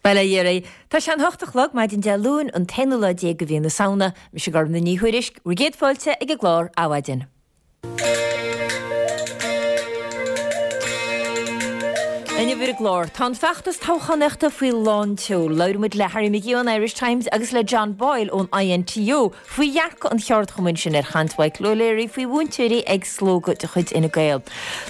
Bail ó Dhia oraibh. Tá sé an hocht a chlog, maidin Dé Luain, an t-aonú lá de mhí na Samhna. Mise Gormfhlaith Ní Thuairisg, bhur gcéad fáilte ag an gclár Adhmhaidin. Inniu ar an gclár, tá an feachtas toghchánaíochta faoi lán tseoil. Labhróidh muid le Harry McGee ón Irish Times agus le John Boyle ón INTU faoi dhearcadh an cheardchumainn sin ar chaint Mhichael O'Leary faoi mhúinteoirí ag slógadh de chuid Fhine Gael.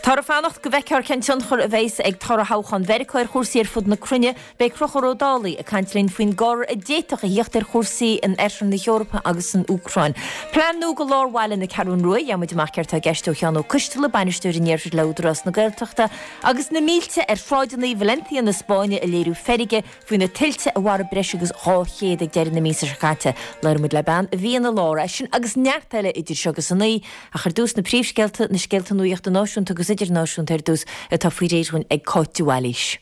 Táthar ag fanacht go bhfeicfear cén tionchar a bheas ag toradh thoghchán Mheiriceá ar chúrsaí ar fud na cruinne. Beidh Conchúr Ó Dálaigh ag caint linn faoin gcor a d'fhéadfadh a thíocht ar chúrsaí in oirthear na hEorpa agus san Úcráin. Plean nua do lár bhaile na Ceathrún Rua, gheobhaidh muid amach céard tá i gceist ó Sheán Ó Coisteala, Bainisteoir an Iarthair le Údarás na Gaeltachta, agus na mílte ar shráideanna Valencia na Spáinne ag léiriú feirge faoi na tuilte a mharaigh breis agus 200 ag deireadh na míosa seo caite. Labhróidh muid le bean a bhí ina lár. É sin agus neart eile idir seo agus a naoi, ach ar dtús na príomhscéalta, na scéalta nuachta náisiúnta agus idirnáisiúnta ar dtús, atá faoi réir dhúinn ag Cáit de Bhailís.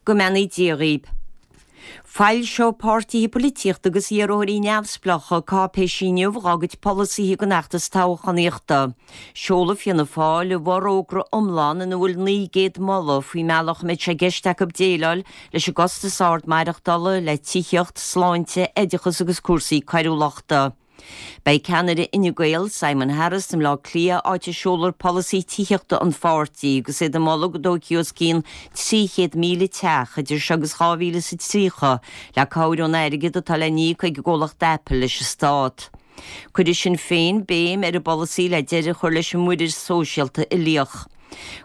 Go mbeannaí Dia dhaoib. Foilseoidh páirtithe poilitíochta agus iarrthóirí neamhspleácha cáipéisí inniu dhá gcuid polasaithe don fheachtas toghchánaíochta. Seolfaidh Fianna Fáil a bhforógra iomlán ina bhfuil 900 moladh faoin mbealach a mbeidh sé i gceist acu déileáil leis an gcostas ard maireachtála, le tithíocht, sláinte, oideachas agus cúrsaí coiriúlachta. Beidh ceannaire Fhine Gael, Simon Harris, i mBleá Cliath, áit a seolfar polasaí tithíochta an pháirtí agus iad ag moladh go dtógfaí os cionn 300,000 teach idir seo agus 2030 le cabhair ón airgead atá le n-íoc ag an gcomhlacht Apple leis an stát. Cuirfidh Sinn Féin béim ar a bpolasaí le deireadh a chur leis an muirear sóisialta uilíoch.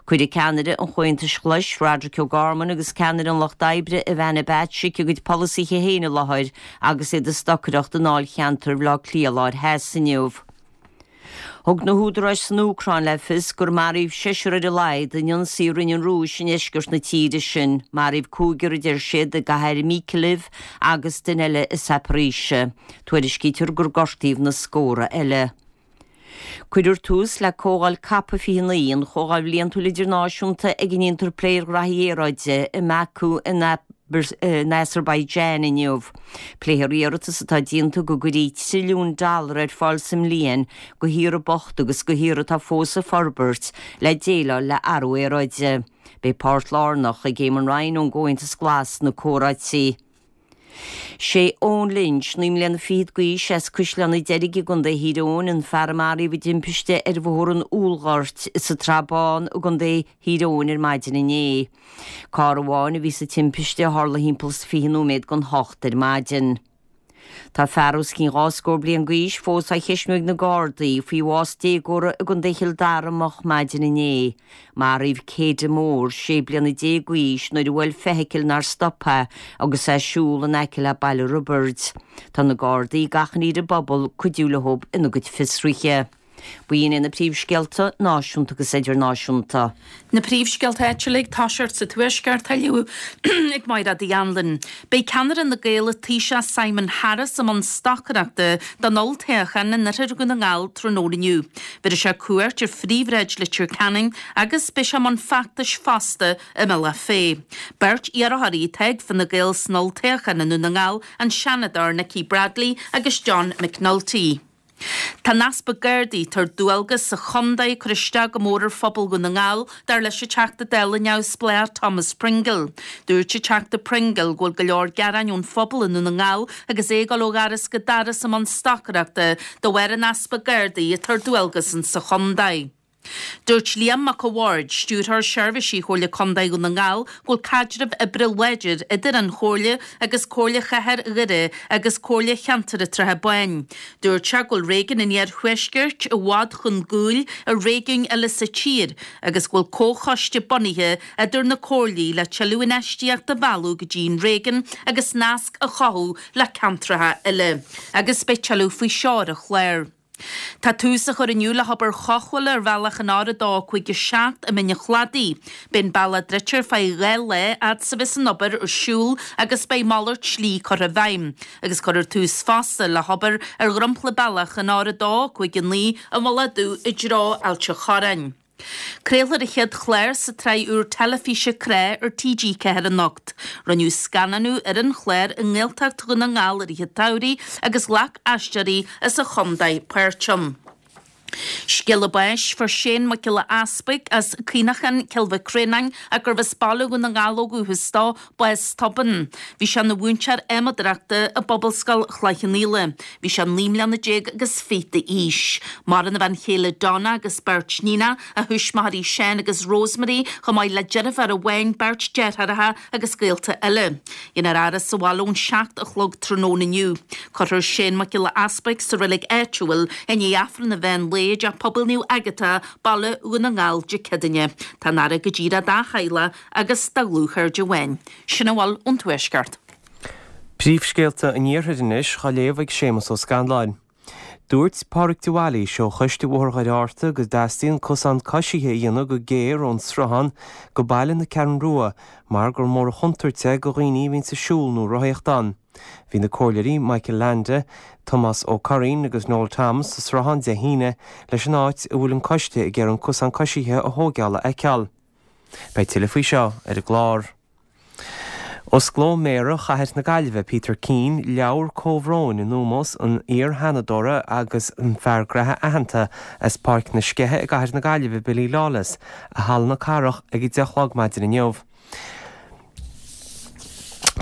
Cuirfidh ceannaire an Chomhaontais Ghlais, Roderic O'Gorman agus ceannaire an Lucht Oibre, Ivana Bacik, a gcuid polasaithe féin i láthair agus iad ag stocaireacht i ndáilcheantar Bhaile Átha Cliath Láir Theas inniu. Thug na húdaráis san Úcráin le fios gur maraíodh seisear ar a laghad in ionsaí a rinne an Rúis i ndeisceart na tíre sin. Maraíodh cúigear, a deir siad, i gcathair Mykolaiv agus duine eile i Zaporizhzhia. Tuairiscítear gur gortaíodh na scórtha eile. Cuirfear tús le Comhdháil Cop 29, an chomhdháil bhliantúil idirnáisiúnta ag a ndéantar plé ar ghraithí aeráide, i mBaku in Azerbaijan inniu. Pléifear iarratas atá déanta go gcuirfí trilliún dollar ar fáil sa mbliain do thíortha bochta agus do thíortha atá fós ag forbairt le déileáil le athrú aeráide. Beidh páirt lárnach ag Eamon Ryan ón gComhaontas Glas sna comhráití. Sé Eoin Lynch, 9 mbliana fichead d'aois, as Caisleán an Deirg i gContae Thír Eoghain, an fear a maraíodh i dtimpiste ar Bhóthar an Úllghoirt sa tSrath Bán i gContae Thír Eoghain ar maidin inné. Carr amháin a bhí sa timpiste a tharla thimpeall is 20 nóiméad don hocht ar maidin. Tá fear os cionn dhá scór bliain d'aois fós á cheistniú ag na Gardaí faoi bhás déagóra i gContae Chill Dara moch maidin inné. Maraíodh Céide Moore, 16 bliana d'aois, nuair a bhuail feithicil nár stop é agus é ag siúl in aice le Baile Roibeaird. Tá na Gardaí ag achainí ar an bpobal cuidiú leo ina gcuid fiosruithe. B'in iad na príomhscéalta, náisiúnta agus idirnáisiúnta. Na príomhscéalta áitiúla ag toiseacht sa Tuaisceart á léamh ag Máire Uí Anluain. Beidh ceannaire Fhine Gael Taoiseach Simon Harris i mbun stocaireachta don olltoghchán in oirthear Dhún na nGall tráthnóna inniu. Bhéarfaidh sé cuairt ar phríomhshráid Leitir Ceanainn agus beidh sé i mbun feachtais fosta i mBealach Féich. Beirt iarrthóirí atá ag Fine Gael san olltoghchán i nDún na nGall, an Seanadóir Nikki Bradley agus John McNulty. Tá an easpa Gardaí atá ar dualgas sa chontae ag cur isteach go mór ar phobal Dhún na nGall, dar leis an Teachta Dála neamhspleách Thomas Pringle. Dúirt an Teachta Pringle go bhfuil go leor gearáin ón phobal i nDún na nGall agus é ag dul ó dhoras go doras i mbun stocaireachta de bharr an easpa Gardaí atá ar dualgas insa chontae. Dúirt Liam Mac a' Bhaird, Stiúrthóir Seirbhísí Chomhairle Contae Dhún na nGall, go bhfuil caidreamh oibre láidir idir an Chomhairle agus Comhairle Chathair Dhoire agus Comhairle Cheantar an tSratha Báin. Dúirt sé go bhfuil réigiún an Iarthuaiscirt i bhfad chun gcúil ar réigiúin eile sa tír agus go bhfuil comhchoiste bunaithe idir na comhairlí le tuilleadh infheistíochta a mhealladh go dtí an réigiún agus nasc a chothú le ceantracha eile. Agus beidh tuilleadh faoi seo ar an chlár. Tá tús á chur inniu le hobair chothabhála ar bhealach an R257 i mBinn an Chladaigh. Beidh an bealach druidte ar feadh 2 lá fhad is a bheas an obair ar siúl agus beidh malairt slí curtha i bhfeidhm. Agus cuirfear tús fosta le hobair ar dhromchla bealach an R259 i Mullach Dubh i dtreo Ailt an Chorráin. Craolfar an chéad chlár sa tsraith úr teilifíse Crá ar TG4 anocht. Rinneadh scannánú ar an chlár i nGaeltacht Dhún na nGall i rith an tsamhraidh agus ghlac aisteoirí as an chontae páirt ann. Scéala báis, Fuair Shane Mac Giolla Easpaig as Caonachán, Cill Mhic Réanáin, ach gurbh as Baile Dhún na nGall ó dhúchas dó, bás tobann. Bhí sé ina mhúinteoir adhmadóireachta i bPobalscoil Chloich Cheann Fhaola. Bhí sé 19 mbliana agus fiche d'aois. Maireann a bhean chéile Donna agus beirt níonacha, a thuismitheoirí Seán agus Rosemary, chomh maith le deirfiúr amháin, beirt deartháireacha agus gaolta eile. Déanfar a fhaire sa bhaile ón 7 a chlog tráthnóna inniu. Cuirfear Shane Mac Giolla Easpaig sa reilig áitiúil i ndiaidh Aifreann an mheán lae i dTeach Pobail Naomh Agatha, Baile Dhún na nGall, Dé Céadaoine. Tá an fhaire go díreach dá theaghlach agus dá dhlúthchairde amháin. Sin a bhfuil ón Tuaisceart. Príomhscéalta an Iarthair anois á léamh ag Séamus Ó Scanláin. Dúirt Pádraig de Bhailís ó Choiste Bhóthar Dhoire Fhátharta go dteastaíonn cosán coisithe a dhéanamh go géar ón sruthán go baile na Ceathrún Rua mar gur mór an chontúirt é go dhaoine a bhíonns ag siúl nó rothaíocht ann. Bhí na comhairleoirí Michael Leainde, Tomás Ó Curraoin agus Noel Thomas sa sruthán Dé hAoine leis an áit a bhfuil an coiste ag iarraidh an cosán coisithe a thóigeáil a fheiceáil. Beidh tuilleadh faoi seo ar an gclár. Osclóidh Méara Chathair na Gaillimhe, Peter Keane, leabhar comhbhróin in ómós an iar-Sheanadóra agus an fear graithe aitheanta as Páirc na Sceiche i gCathair na Gaillimhe, Billy Lawless, i Halla na Cathrach ag 10 a chlog maidin inniu.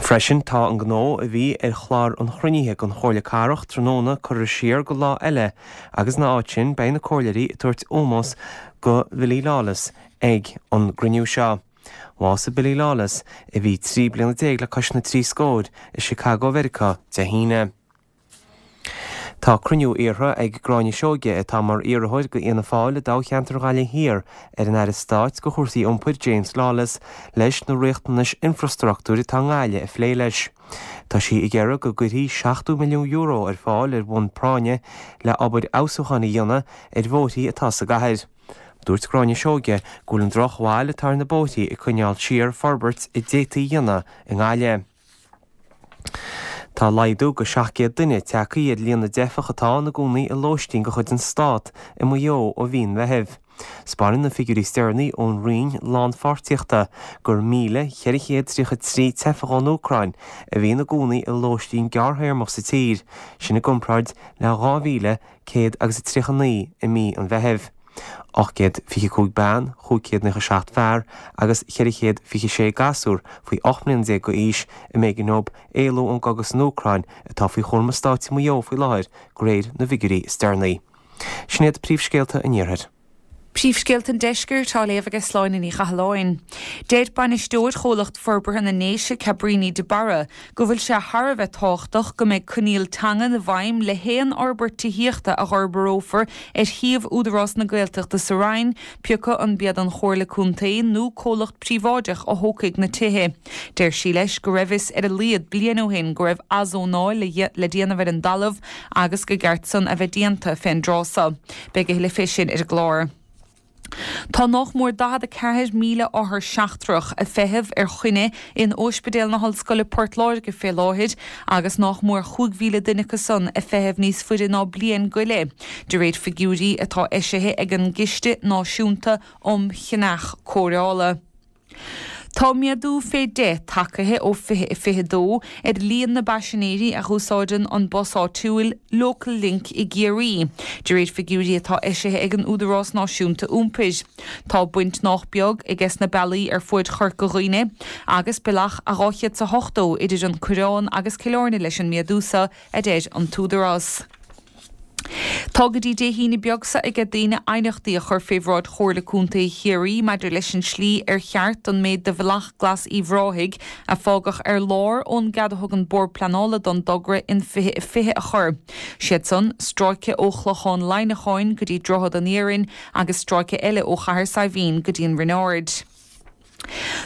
Freisin, tá an gnó a bhí ar chlár an chruinnithe den Chomhairle Cathrach tráthnóna curtha siar go lá eile agus ina áit sin beidh na comhairleoirí ag tabhairt ómós go Bhilly Lawless ag an gcruinniú seo. Bhásaigh Billy Lawless, a bhí 13 bliana le cois na dtrí scóir, i Chicago Mheiriceá Dé hAoine. Tá cruinniú iarrtha ag Gráinne Seoige, atá mar iarrthóir do Fhianna Fáil i dtoghcheantar Ghaillimh Thiar, ar an Aire Stáit do chúrsaí Iompair, James Lawless, leis na riachtanais infrastruchtúir atá i nGaillimh a phlé leis. Tá sí ag iarraidh go gcuirfí €70 milliún ar fáil ar bhonn práinne le obair fheabhsúcháin a dhéanamh ar bhóithrí atá sa gcathair. Dúirt Gráinne Seoige go bhfuil an droch-bhail atá ar na bóithrí ag coinneáil siar forbairt a d'fhéadfaí a dhéanamh i nGaillimh. Tá laghdú go 700 duine tagtha ar líon na dteifeach atá ina gcónaí i lóistín de chuid an Stát i Maigh Eo ó mhí an Mheithimh. 'Spáineann na figiúirí is deireanaí ón Roinn Lánpháirtíochta gur 1,433 teifeach ón Úcráin a bhí ina gcónaí i lóistín gearrthéarmach sa tír, sin i gcomparáid le 2,000 139 i mí an Mheithimh, 825 bean, 597 fear agus 426 gasúr faoi 18 mbliana d'aois a mb'éigean dóibh éalú ón gcogadh san Úcráin atá faoi chúram an stáit i Maigh Eo faoi láthair, de réir na bhfigiúirí is deireanaí. Sin iad príomhscéalta an Iarthair. Príomhscéalta an Deiscirt á léamh aige Sláine Ní Chathalláin. Deir bainisteoir Chomhlacht Forbartha na nDéise, Cabríní de Barra, go bhfuil sé thar a bheith tábhachtach go mbeidh coinníoll teangan i bhfeidhm le haon fhorbairt tithíochta a dh'fhorbarófar ar shuíomh Údarás na Gaeltachta sa Rinn, pioca an b'iad an Chomhairle Contae nó comhlacht príobháideach a thógfaidh na tithe. Deir sí leis go raibh fhios ar a laghad bliain ó shin go raibh athzónáil le déanamh ar an dtalamh agus gur ceart san a bheith déanta fén dtráth so. Beidh a thuilleadh fé sin ar an gclár. Tá nách mór 44,000 othar seachtrach ag feitheamh ar choinne in Ospidéal na hOllscoile Port Láirge fé láthair agus nách mór 5,000 duine acu san ag feitheamh níos faide ná bliain go leith, de réir figiúirí atá eisithe ag an gCiste Náisiúnta um Cheannach Cóireála. Tá méadú fé dheich tagtha ó 2022 ar líon na bpaisinéirí a dh'úsáideann an bus áitiúil, Local Link i gCiarraí, de réir figiúirí atá eisithe ag an Údarás Náisiúnta Iompair. Tá baint nách beag aige sna bealaí ar fuaid Chorca Dhuibhne agus bealach a 280 idir an Coireán agus Cill Airne leis an méadú so, a deir an tÚdarás. Tá go dtí Dé hAoine beag seo aige daoine aighneachtaí a chur fé bhráid Chomhairle Contae Chiarraí maidir leis an slí ar cheart don méid de Bhealach Glas Uíbh Ráthaigh a fágadh ar lár ón gcead a thug an Bord Pleanála don dtogra in 2020 a chur. Siad san, stráice ó Chlochán Laighneacháin go dtí Droichead an Iarainn agus stráice eile ó Chathair Saidhbhín go dtí an Rinn Ard.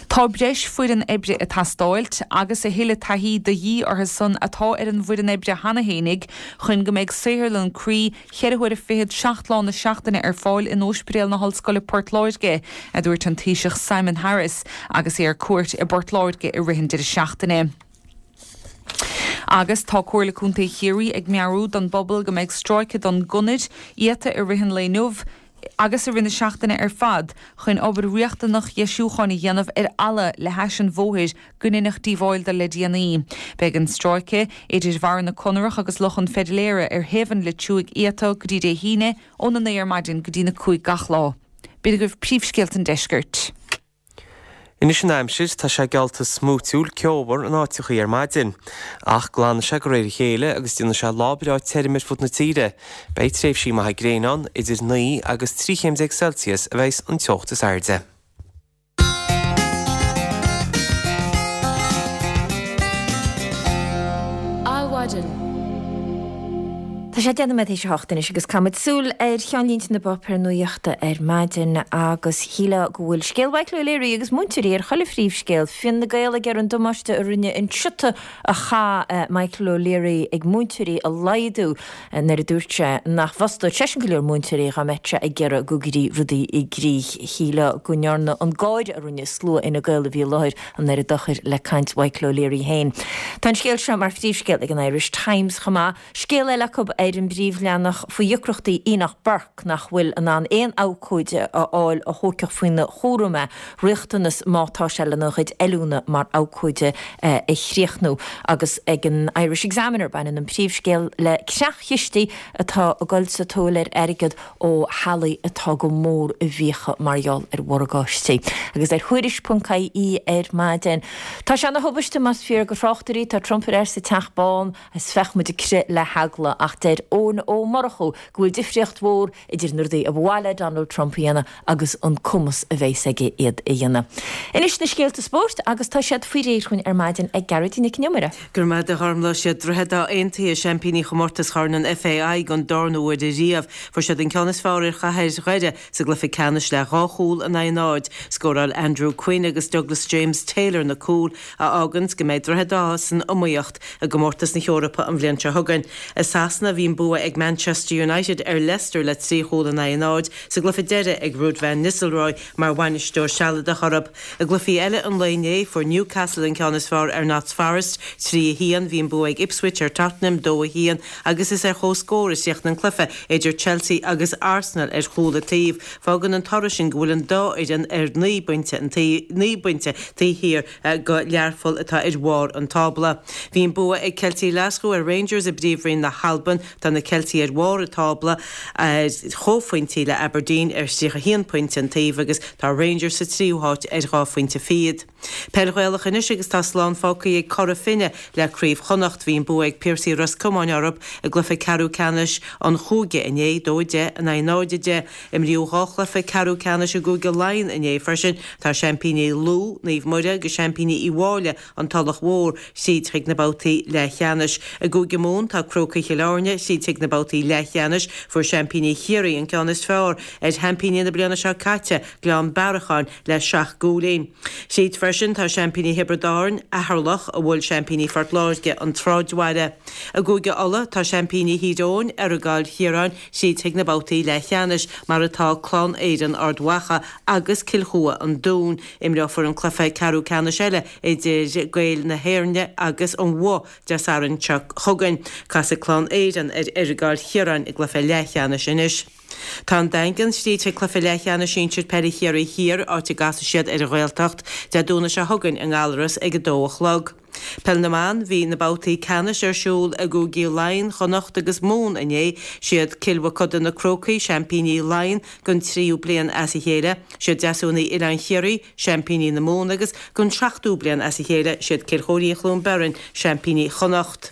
Tá breis foireann oibre ag teastáilt agus a thuilleadh taithí de dhíth orthu san atá ar an bhfoireann oibre cheana fhéinig chun go mbeidh saotharlann croí cheithre huaire fichead seacht lá na seachtaine ar fáil in Óispidéal na hOllscoile Port Láirge, a dúirt an Taoiseach Simon Harris agus é ar cuairt i bPort Láirge i rith an deireadh seachtaine. Agus tá Comhairle Contae Chiarraí ag meabhrú don bpobal go mbeidh stráice don gconair iata i rith an lae inniu. agus i rith na seachtaine ar fad chun obair riachtanach dheisiúcháin a dhéanamh ar fhalla le hais an bhóthair go ndéanfadh díobháil do le déanaí. Beidh an stráice idir Bharra na Conarach agus Loch an Pheidléara ar thaobh an Loit Thuaidh iata go dtí Dé hAoine óna 9 ar maidin go dtína 5 gach lá. B'in agaibh príomhscéalta an deiscirt. Anois an aimsir, tá sé geallta smúitiúil ceomhar in áiteachaí ar maidin. Ach glanfaidh sé de réir a chéile agus déanfaidh sé lá breá tirim ar fud na tíre. Beidh tréimhsí maithe gréine ann, idir 9 agus 13 chéim Celsius a bheas an teocht is airde. Adhmhaidin. Tá sé 10 nóiméad théis a hocht anois agus caithfimid súil ar cheannlínte na bpáipéar nuachta ar maidin agus shílfeá go bhfuil scéal Mhichael O'Leary agus múinteoirí ar chuile phríomhscéal. Fine Gael ag iarraidh an damáiste a rinne an siota a chaith Michael O'Leary ag múinteoirí a laghdú nuair a dúirt sé nach bhfostódh seisean go leor múinteoirí dá mbeadh sé ag iarraidh go gcuirfí rudaí i gcrích. Shílfeá go ndearna an gáire a rinne slua Fhine Gael a bhí i láthair an oiread dochair le caint Mhichael O'Leary féin. Tá an scéal seo mar phríomhscéal ag an Irish Times chomh maith. Scéal eile acu ar an bpríomhleathanach faoi dheacrachtaí Enoch Burke nach bhfuil in ann aon abhcóide a fháil a thógfadh faoina chúram é, riachtanas má tá sé lena chuid oiliúna mar abhcóide a chríochnú. Agus ag an Irish Examiner baineann an príomhscéal le creach-chistí atá ag dul sa tóir ar airgead ó theaghlaigh atá go mór i bhfiacha mar gheall ar mhorgáistí. Agus ar Thuairisc.ie ar maidin, tá sé ina thubaiste más fíor do thráchtairí, tá Trump ar ais sa Teach Bán is bheadh muid ag crith le heagla ach deir Eoin Ó Murchú go bhfuil difríocht mhór idir na rudaí a ba mhaith le Donald Trump a dhéanamh agus an cumas a bheas aige iad a dhéanamh. Anois na scéalta spóirt agus tá siad faoi réir chugainn ar maidin ag Gearóidín Nic an Iomaire. Go raibh maith agat a Ghormfhlaith. Siad Droichead Átha Aontaithe seaimpíní chomórtas Chorn an FAI don darna huair ariamh. Fuair siad an ceann is fearr ar Chathair Dhoire sa gcluiche ceannais le dhá chúl in aghaidh a náid. Scóráil Andrew Quinn agus Douglas James Taylor na cúil a fháganns go mbeidh Droichead Átha san iomaíocht i gcomórtas na hEorpa an bhliain seo chugainn. I Sasana bhí an bua ag Manchester United ar Leicester le 3 chúl in aghaidh a náid sa gcluiche deiridh ag Ruud van Nistelrooy mar bhainisteoir sealadach orthu. I gcluichí eile an lae inné, fuair Newcastle an ceann is fearr ar Notts Forest, 3, 1, bhí an bua ag Ipswich ar Tottenham, 2, 1, agus is ar chomhscór a chríochnaigh an cluiche idir Chelsea agus Arsenal ar chúl an taobh. Fágann an toradh sin go bhfuil an dá fhoireann ar 9 bpointe an taobh, 9 bpointe taobh thiar go Learpholl atá ar bharr an tábla. Bhí an bua ag Ceiltigh Ghlaschú ar Rangers i bPríomhroinn na hAlban. Tá na Ceiltigh ar bharr an tábla ar chomhphointí le Aberdeen ar 31 pointe an taobh agus tá Rangers sa tríú háit ar dhá phointe fichead. Peil Ghaelach anois agus tá slán fágtha ag Cora Finne le Craobh Chonnacht. Bhí an bua ag Piarsaigh Ros Comáin orthu i gcluiche ceathrú ceannais an chúige inné, 2, 10 in aghaidh 0, 10. Imríodh dhá chluiche ceathrú ceannais i gCúige Laighean inné freisin. Tá seaimpíní Lú, Naomh Muire, agus seaimpíní Uí Mháille, An Tulach Mhór, tríd chuig na babhtaí leathcheannais. I gCúige Mumhan tá Crócaigh Chill Airne tríd chuig na babhtaí leathcheannais. Fuair seaimpíní Chiarraí an ceann is fearr ar sheaimpíní na bliana seo caite, Gleann Bearacháin, le seacht gcúilín. Tríd freisin tá seaimpíní Thiobraid Árann, Ceatharlach, a bhuail seaimpíní Phort Láirge, An Sráidbhaile. I gCúige Uladh tá seaimpíní Thír Eoghain, Errigal Chiaráin, tríd chuig na babhtaí leathcheannais, mar atá Clann Éireann Ard Mhacha agus Cill Chua An Dún. Imreofar an cluiche ceathrú ceannais eile idir Gaeil na hÉirne agus an Bhoth Dé Sathairn seo chugainn. Casfaidh Clann Éireann ar Errigal Chiaráin i gcluiche leathcheannais anois. Tá an Daingean tríd chuig cluiche leathcheannais sinsir peile Chiarraí Thiar, áit a gcasfaidh siad ar an Ghaeltacht Dé Domhnaigh seo chugainn i nGallaras ag 2 a chlog. Peil na mBan, Bhí na babhtaí ceannais ar siúl i gCúigí Laighean, Chonnacht agus Mumhan inné. Siad Cill Mochuda na Crócaigh, seaimpíní Laighean don tríú bliain as a chéile. Siad Deasúnaí Oileán Chiarraí, seaimpíní na Mumhan agus don seachtú bliain as a chéile, siad Cill Chóirín Chluain Bheirn, seaimpíní Chonnacht.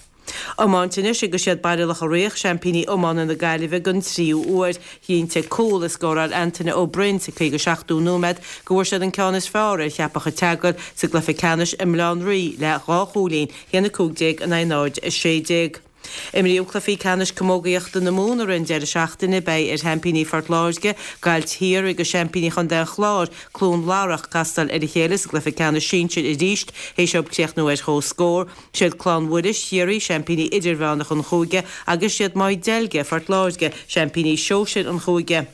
Iomáint anois agus siad Baile Locha Riach, seaimpíní iomána na Gaillimhe don tríú huair. Chinntigh cúl a scóráil Antaine Ó Broin sa 57ú nóiméad go bhfuair siad an ceann is fearr ar Cheapach an tSeagail sa gcluiche ceannais i mBaile Átha an Rí le dhá chúilín, 1-15 in aghaidh 0-16. Imríodh cluichí ceannais camógaíochta na Mumhan i rith an deireadh seachtaine. Beidh ar sheaimpíní Phort Láirge, Gaillimh Thiar agus seaimpíní Chontae an Chláir, Cluain Larach, castáil ar a chéile sa gcluiche ceannais sinsir arís théis dóibh críochnú ar comhscór. Siad Clann Mhuiris, Chiarraí, seaimpíní idirmheánach an chúige agus siad Maigh Deilge, Phort Láirge, seaimpíní sóisir an chúige.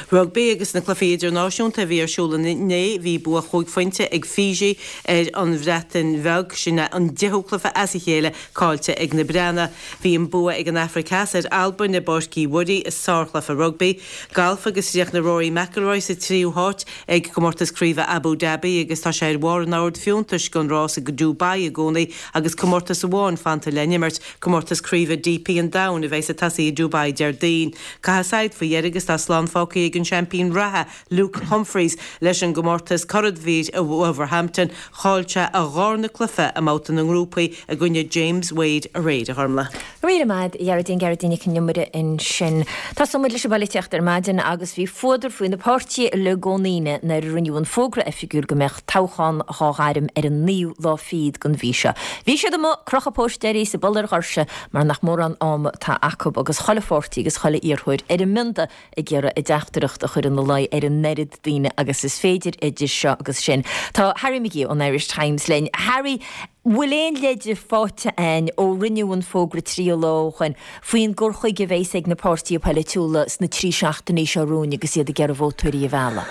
Rugbaí agus na cluichí idirnáisiúnta a bhí ar siúl inné, bhí bua chúig phointe ag Fiji ar an Bhreatain Bheag. Sin é an deichiú cluiche as a chéile caillte ag na Breathnaigh. Bhí an bua ag an Afraic Theas ar Albain i bPáirc Uí Mhuirí i sárchluiche rugbaí. Galf agus chríochnaigh Rory McIlroy sa tríú háit ag Comórtas Craoibhe Abu Dhabi agus tá sé ar bharr an oird fiúntais don rás i Dubai i gcónaí agus comórtas amháin fanta le n-imirt, Comórtas Craoibhe DP an Domhain a bheas ag tosaí i Dubai Déardaoin. Caitheadh saighead faoi dheireadh agus tá slán fágtha ag an seaimpín reatha, Luke Humphries, leis an gcomórtas curadhmhír i Wolverhampton. Chaill sé a dhárna cluiche i mbabhta na ngrúpaí i gcoinne James Wade aréir, a Ghormlaith. Go raibh míle maith, a Ghearóidín, Gearóidín Nic an Iomaire ansin. Tosóidh muid leis an bpolaitíocht ar maidin agus bhí fuadar faoi na páirtithe uilig ón Aoine nuair a rinneadh an fógra oifigiúil go mbeadh toghchán dhá ghairm ar an naoú lá fichead den mhí seo. Bhí siad amuigh ag crochadh póistéirí is ag bualadh ar dhoirse mar nach mórán ama atá acu agus chuile pháirtí agus chuile iarrthóir ar a mbionda ag iarraidh a dteachtaireacht a chur ina luí ar an oiread daoine agus is féidir idir seo agus sin. Tá Harry McGee ón Irish Times linn. Harry, bhfuil aon leide faighte a'inn ó rinneadh an fógra 30 lá ó shoin faoin gcur chuige a bheas ag na páirtithe polaitiúla sna 3 seachtainí seo romhainn agus iad ag iarraidh vótóirí a mhealladh?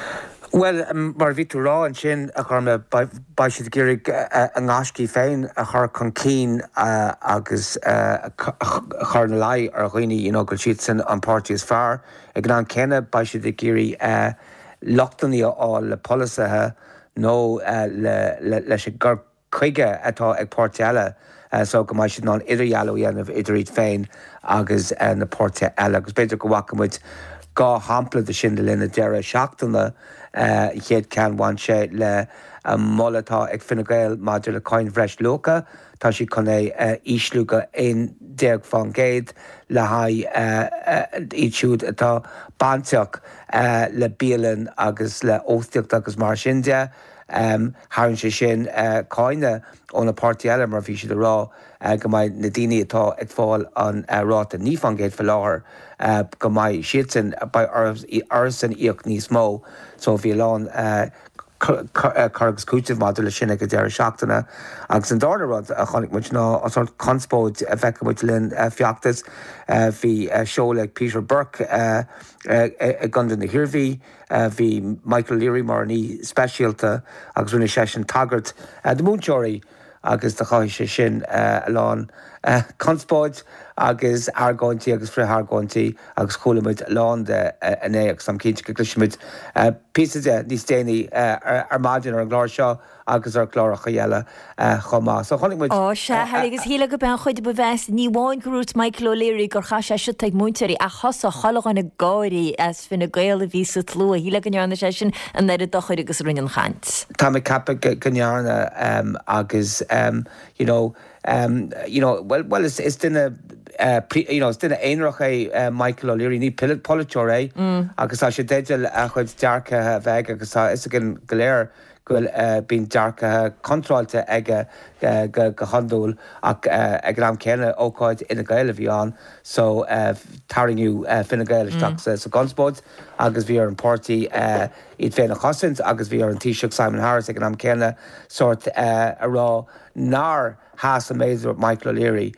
Bhuel, mar a bhí tú a rá ansin, a Ghormlaith, beidh siad ag iarraidh a ngaiscí féin a chur chun cinn agus a chur ina luí ar dhaoine you know go bhfuil siadsan an páirtí is fearr. Ag an am céanna, beidh siad ag iarraidh lochtanna a fháil le polasaithe nó leis an gcur chuige atá ag páirtithe eile so go mbeidh siad in ann idirdhealú a dhéanamh idir iad féin agus na páirtithe eile. Agus b'fhéidir go bhfaca muid 2 shampla de sin le linn na deireadh seachtaine. An chéad cheann bhain sé le moladh atá ag Fine Gael maidir le cáin bhreisluacha. Tá siad chun é a ísliú go 11% le haghaidh iad siúd atá bainteach le bialann agus le hóstaíocht agus mar sin de. Tharraing sé sin cáineadh ó na páirtithe eile mar bhí siad ag rá go mbeidh na daoine atá ag fáil an ráta 9% faoi láthair, go mbeidh siadsan, beidh orthusan íoc níos mó. So bhí a lán cur agus cúiteamh maidir leis sin ag an deireadh seachtaine. Agus an darna rud a chonaic muid ná an sórt conspóid a bhfeiceann muid le linn feachtas. Bhí seoladh ag Peter Burke i gContae na hIarmhí. Bhí Michael O'Leary mar an aoi speisialta agus rinne seisean tagairt do mhúinteoirí agus do chothaigh sé sin a lán conspóid agus argóintí agus frith-argóintí agus chuala muid a lán de inné agus táim cinnte go gcloisfimid píosa de níos déanaí ar maidin ar an gclár seo. agus ar chláracha eile chomh maith. So chonaic muid. Ó sea, Harry, agus shílfeá gurb é an chuid ba mheasa, ní amháin gur dhúirt Michael O'Leary gur chaith sé siota ag múinteoirí, ach thosaigh chuile dhuine ag gáirí as Fine Gael a bhí sa tslua. Shílfeá go ndearna sé sin an oiread dochair agus a rinne an chaint. Tá mé ag ceapadh go ndearna agus you know, you know, well, well is, is duine, you know, is duine aonarach é Michael O'Leary, ní polaiteoir é agus tá sé i dteideal a chuid dearcaithe a bheith aige agus tá a fhios againn go léir go bhfuil, bíonn dearcaithe contráilte aige go hiondúil ach ag an am céanna ócáid Fhine Gael a bhí ann so tarraingíodh Fine Gael isteach sa gconspóid agus bhí ar an páirtí iad féin a chosaint agus bhí ar an Taoiseach Simon Harris ag an am céanna sórt a rá nár sheas an méid a dúirt Michael O'Leary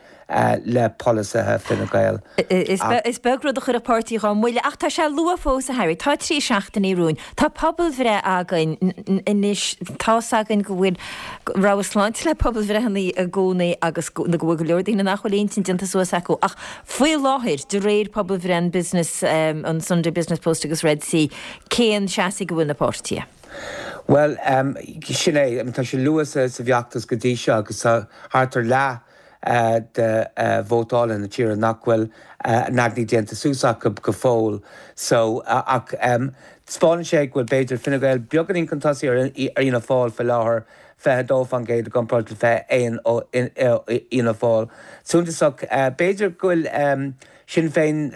le polasaithe Fine Gael. Is beag rud a chuirfeadh páirtí dhá mbuille, ach tá sé luath fós, a Harry. Tá 3 seachtainí romhainn. Tá pobalbhreith againn anois. Tá's againn go bhfuil rogha sláinte le pobalbhreitheanna i gcónaí agus go bhfuil go leor daoine nach bhfuil intinn déanta suas acu. Ach faoi láthair, de réir pobalbhreith an Business, an Sunday Business Post agus Red C, cén seasamh a bhfuil na páirtithe? Bhuel, sin é. Tá sé luath sa bhfeachtas go dtí seo agus tá thart ar leath de vótálaithe na tíre nach bhfuil a n-aigne déanta suas acu go fóill. So, ach taispeánann sé go bhfuil b'fhéidir Fine Gael beagáinín chun tosaigh ar Fhianna Fáil faoi láthair, 22% i gcomparáid le 21 ó Fhianna Fáil. Suntasach, b'fhéidir go bhfuil Sinn Féin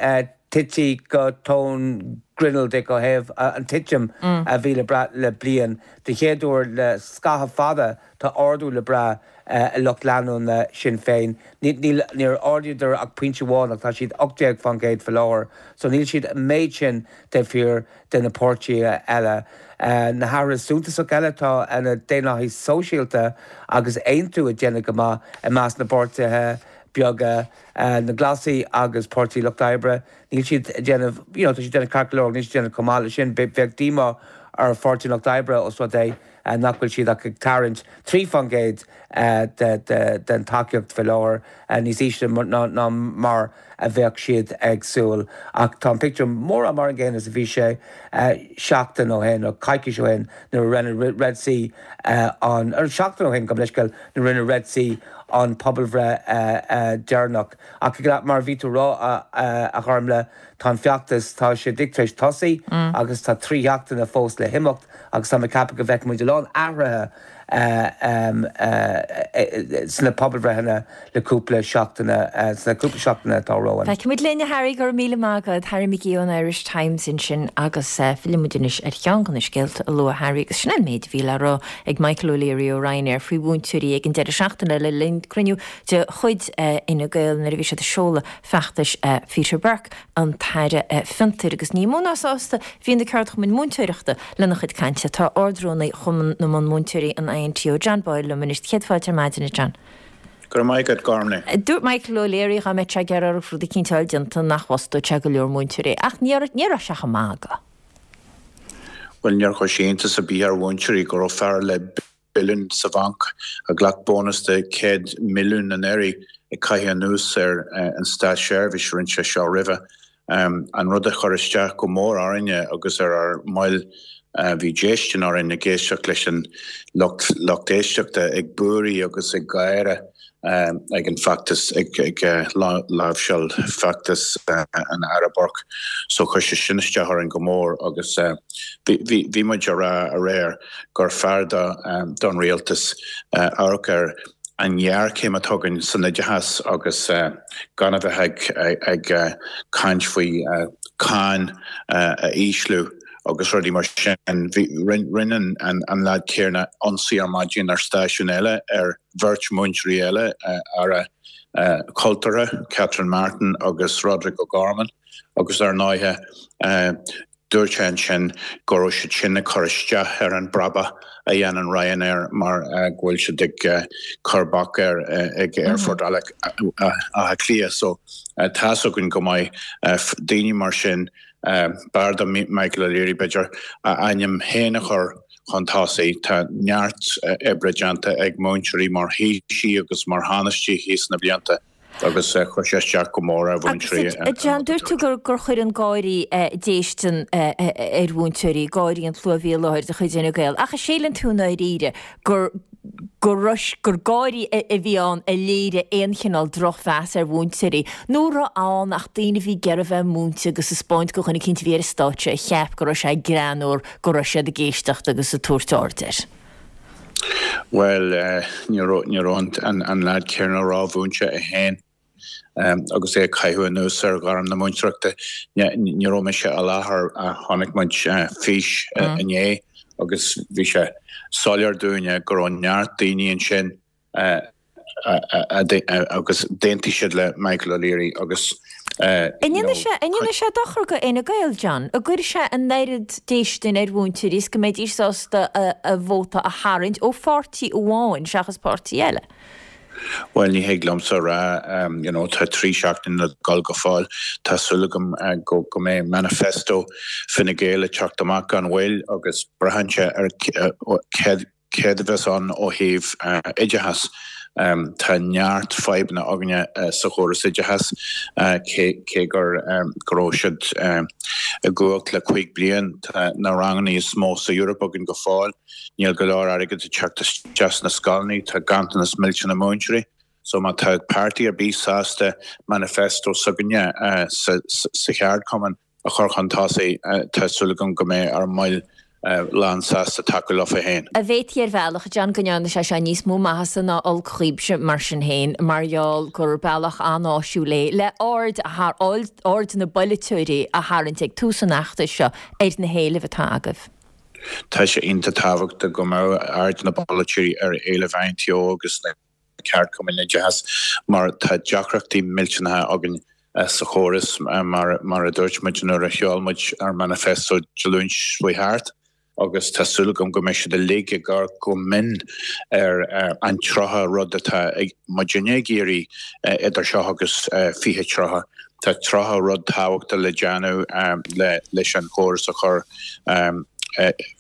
tite go tóin grinneall ó thaobh an titim a bhí le brath le bliain. Den chéad uair le scaitheamh fada tá ardú le brath i lucht leanúna Shinn Féin. Níor ardaíodar ach pointe amháin ach tá siad 18% faoi láthair so níl siad an méid sin taobh thiar de na páirtithe eile. Na hathruithe suntasach eile tá na Daonlathaigh Sóisialta agus Aontú ag déanamh go maith i measc na bpáirtithe. beaga. Na Glasaigh agus Páirtí Lucht Oibre, níl siad ag déanamh, you know, tá siad ag déanamh ceart go leor, níl siad ag déanamh chomh maith leis sin. Bheadh díomá ar Pháirtí an Lucht Oibre os rud é nach bhfuil siad ach ag tarraingt 3% den tacaíocht faoi láthair, níos ísle ná mar a bheadh siad ag súil. Ach tá an pictiúr mórán mar an gcéanna is a bhí sé seachtain ó shin, nó coicís ó shin, nuair a rinne Red C an, seachtain ó shin, gabh mo leithscéal, nuair a rinne Red C an pobalbhreith deireanach. Ach mar a bhí tú a rá, a Ghormlaith, tá an feachtas, tá sé tar éis tosaí agus tá 3 sheachtaine fós le himeacht agus tá mé ag ceapadh go bhfeicfidh muid a lán athruithe sna pobalbhreitheanna le cúpla seachtaine, sna cúpla seachtaine atá romhainn. Feicfimid linn, a Harry, go raibh míle maith agat. Harry McGee ón Irish Times ansin agus fillfidh muid anois ar cheann de na scéalta a luaigh Harry agus sin é an méid a bhí le rá ag Michael O'Leary ó Ryanair faoi mhúinteoirí ag an deireadh seachtaine le linn cruinniú de chuid Fhine Gael nuair a bhí siad ag seoladh feachtais Peter Burke, an tAire Fiontair, agus ní mó ná sásta a bhí na ceardchumainn múinteoireachta lena chuid cainte. Tá Ard-Rúnaí Chumann na mBunmhúinteoirí, an INTO, John Boyle liom anois. Céad fáilte ar maidin, a John. Go raibh maith agat, Gormlaith. Dúirt Michael O'Leary dhá mbeadh sé ag iarraidh rud eicínt a fháil déanta nach bhfostódh sé go leor múinteoirí. Ach ní raibh sé chomh maith agat. Bhuel, níor chuir sé iontas ar bith ar mhúinteoirí go raibh fear le billiún sa bhanc, a ghlac bónas de 100 milliún anuraidh, ag caitheamh anuas ar an státseirbhís, rinne sé seo roimhe. An rud a chuir isteach go mór orainne agus ar ár mbaill, bhí déistin orainn ag éisteacht leis an lucht lucht éisteachta ag búirí agus ag gáire ag an bhfeachtas, ag láimhseáil feachtas an Aire Burke. So chuir sé sin isteach orainn go mór agus bhí muid á rá aréir gur fearr don rialtas amharc ar an ghéarchéim atá againn san oideachas agus gan a bheith ag caint faoi cáin a ísliú agus rudaí mar sin. Rinne an leaid céanna ionsaí ar maidin ar stáisiún eile ar bheirt mhúinteoirí eile, Aire Cultúrtha, Catherine Martin agus Roderic O'Gorman agus ar ndóighe Dúirt sé ansin go raibh siad sin ag cur isteach ar an brabach a dhéanann Ryanair mar go bhfuil siad ag cur bac air ag Aerfort Átha Cliath. So tá's againn go maith daoine mar sin, b'fhearr do Michael O'Leary b'fhéidir a ainm féin a chur chun tosaigh. Tá neart oibre déanta ag múinteoirí mar Thaoisigh agus mar Thánaistí thíos na blianta. agus chuir sé isteach go mór ar mhúinteoirí. Agus a John, dúirt tú gur chuir an gáirí déistin ar mhúinteoirí, gáirí an tslua a bhí i láthair de chuid Fhine Gael, ach an síleann tú i ndáiríre gur gur gáirí a bhí ann a léirigh aon chineál drochmheas ar mhúinteoirí, nó an raibh ann ach daoine a bhí ag iarraidh bheith múinte agus ag 'spáint do dhuine eicínt a bhí ar an stáitse a cheap go raibh sé greannmhar go raibh siad ag éisteacht agus ag tabhairt aird air? Bhuel, ní raibh an leaid céanna rómhúinte é féin agus é ag caitheamh anuas ar ghairm na múinteoireachta. Ní raibh mise i láthair, chonaic muid fís inné agus bhí sé soiléir dúinne go raibh neart daoine ansin agus d'aontaigh siad le Michael O'Leary agus An ndéanfaidh sé dochar do Fhine Gael, John, an gcuirfidh sé an oiread déistin ar mhúinteoirí is go mbeidís sásta a vóta a tharraingt ó pháirtí amháin seachas páirtí eile? Bhuel, ní thig liomsa a rá, you know, tá 3 seachtaine le dul go fóill. Tá súil agam go mbeidh manifesto Fine Gael ag teacht amach gan mhoill agus braitheann sé ar céard Céard a bheas ann ó thaobh oideachais? Tá neart fadhbanna againne sa chóras oideachais, cé gur go raibh siad i gcumhacht le 5 bliain, tá na ranganna is mó sa Eoraip againn go fóill, níl go leor airgid ag teacht isteach sna scoileanna, tá ganntanas millteanach múinteoirí. So má tá páirtí ar bith sásta manifesto s'againne sa cheardchumann, a chur chun tosaigh, tá súil agam go mbeidh ár mbaill lán sásta tacú leofa féin. An bhféadfaí ar bhealach, John, go ndearna sé seo níos mó maitheasa ná olc dhaoibhse mar sin féin, mar gheall gur bealach an-áisiúil é le aird a aird na bpolaiteoirí a tharraingt ag tús an fheachtais seo ar na héilimh atá agaibh. Tá sé iontach tábhachtach go mbeadh aird na bpolaiteoirí ar éilimh INTO agus na. ceardchumainn oideachais mar tá deacrachtaí millteanacha againn sa chóras mar a dúirt muid nuair a sheol muid ár manifesto Dé Luain seo thart. Agus tá súil agam go mbeidh siad uilig ag amharc go mion ar an 30 rud atá muidinne ag iarraidh idir seo agus 2030. Tá 30 rud tábhachtach le déanamh leis an chóras a chur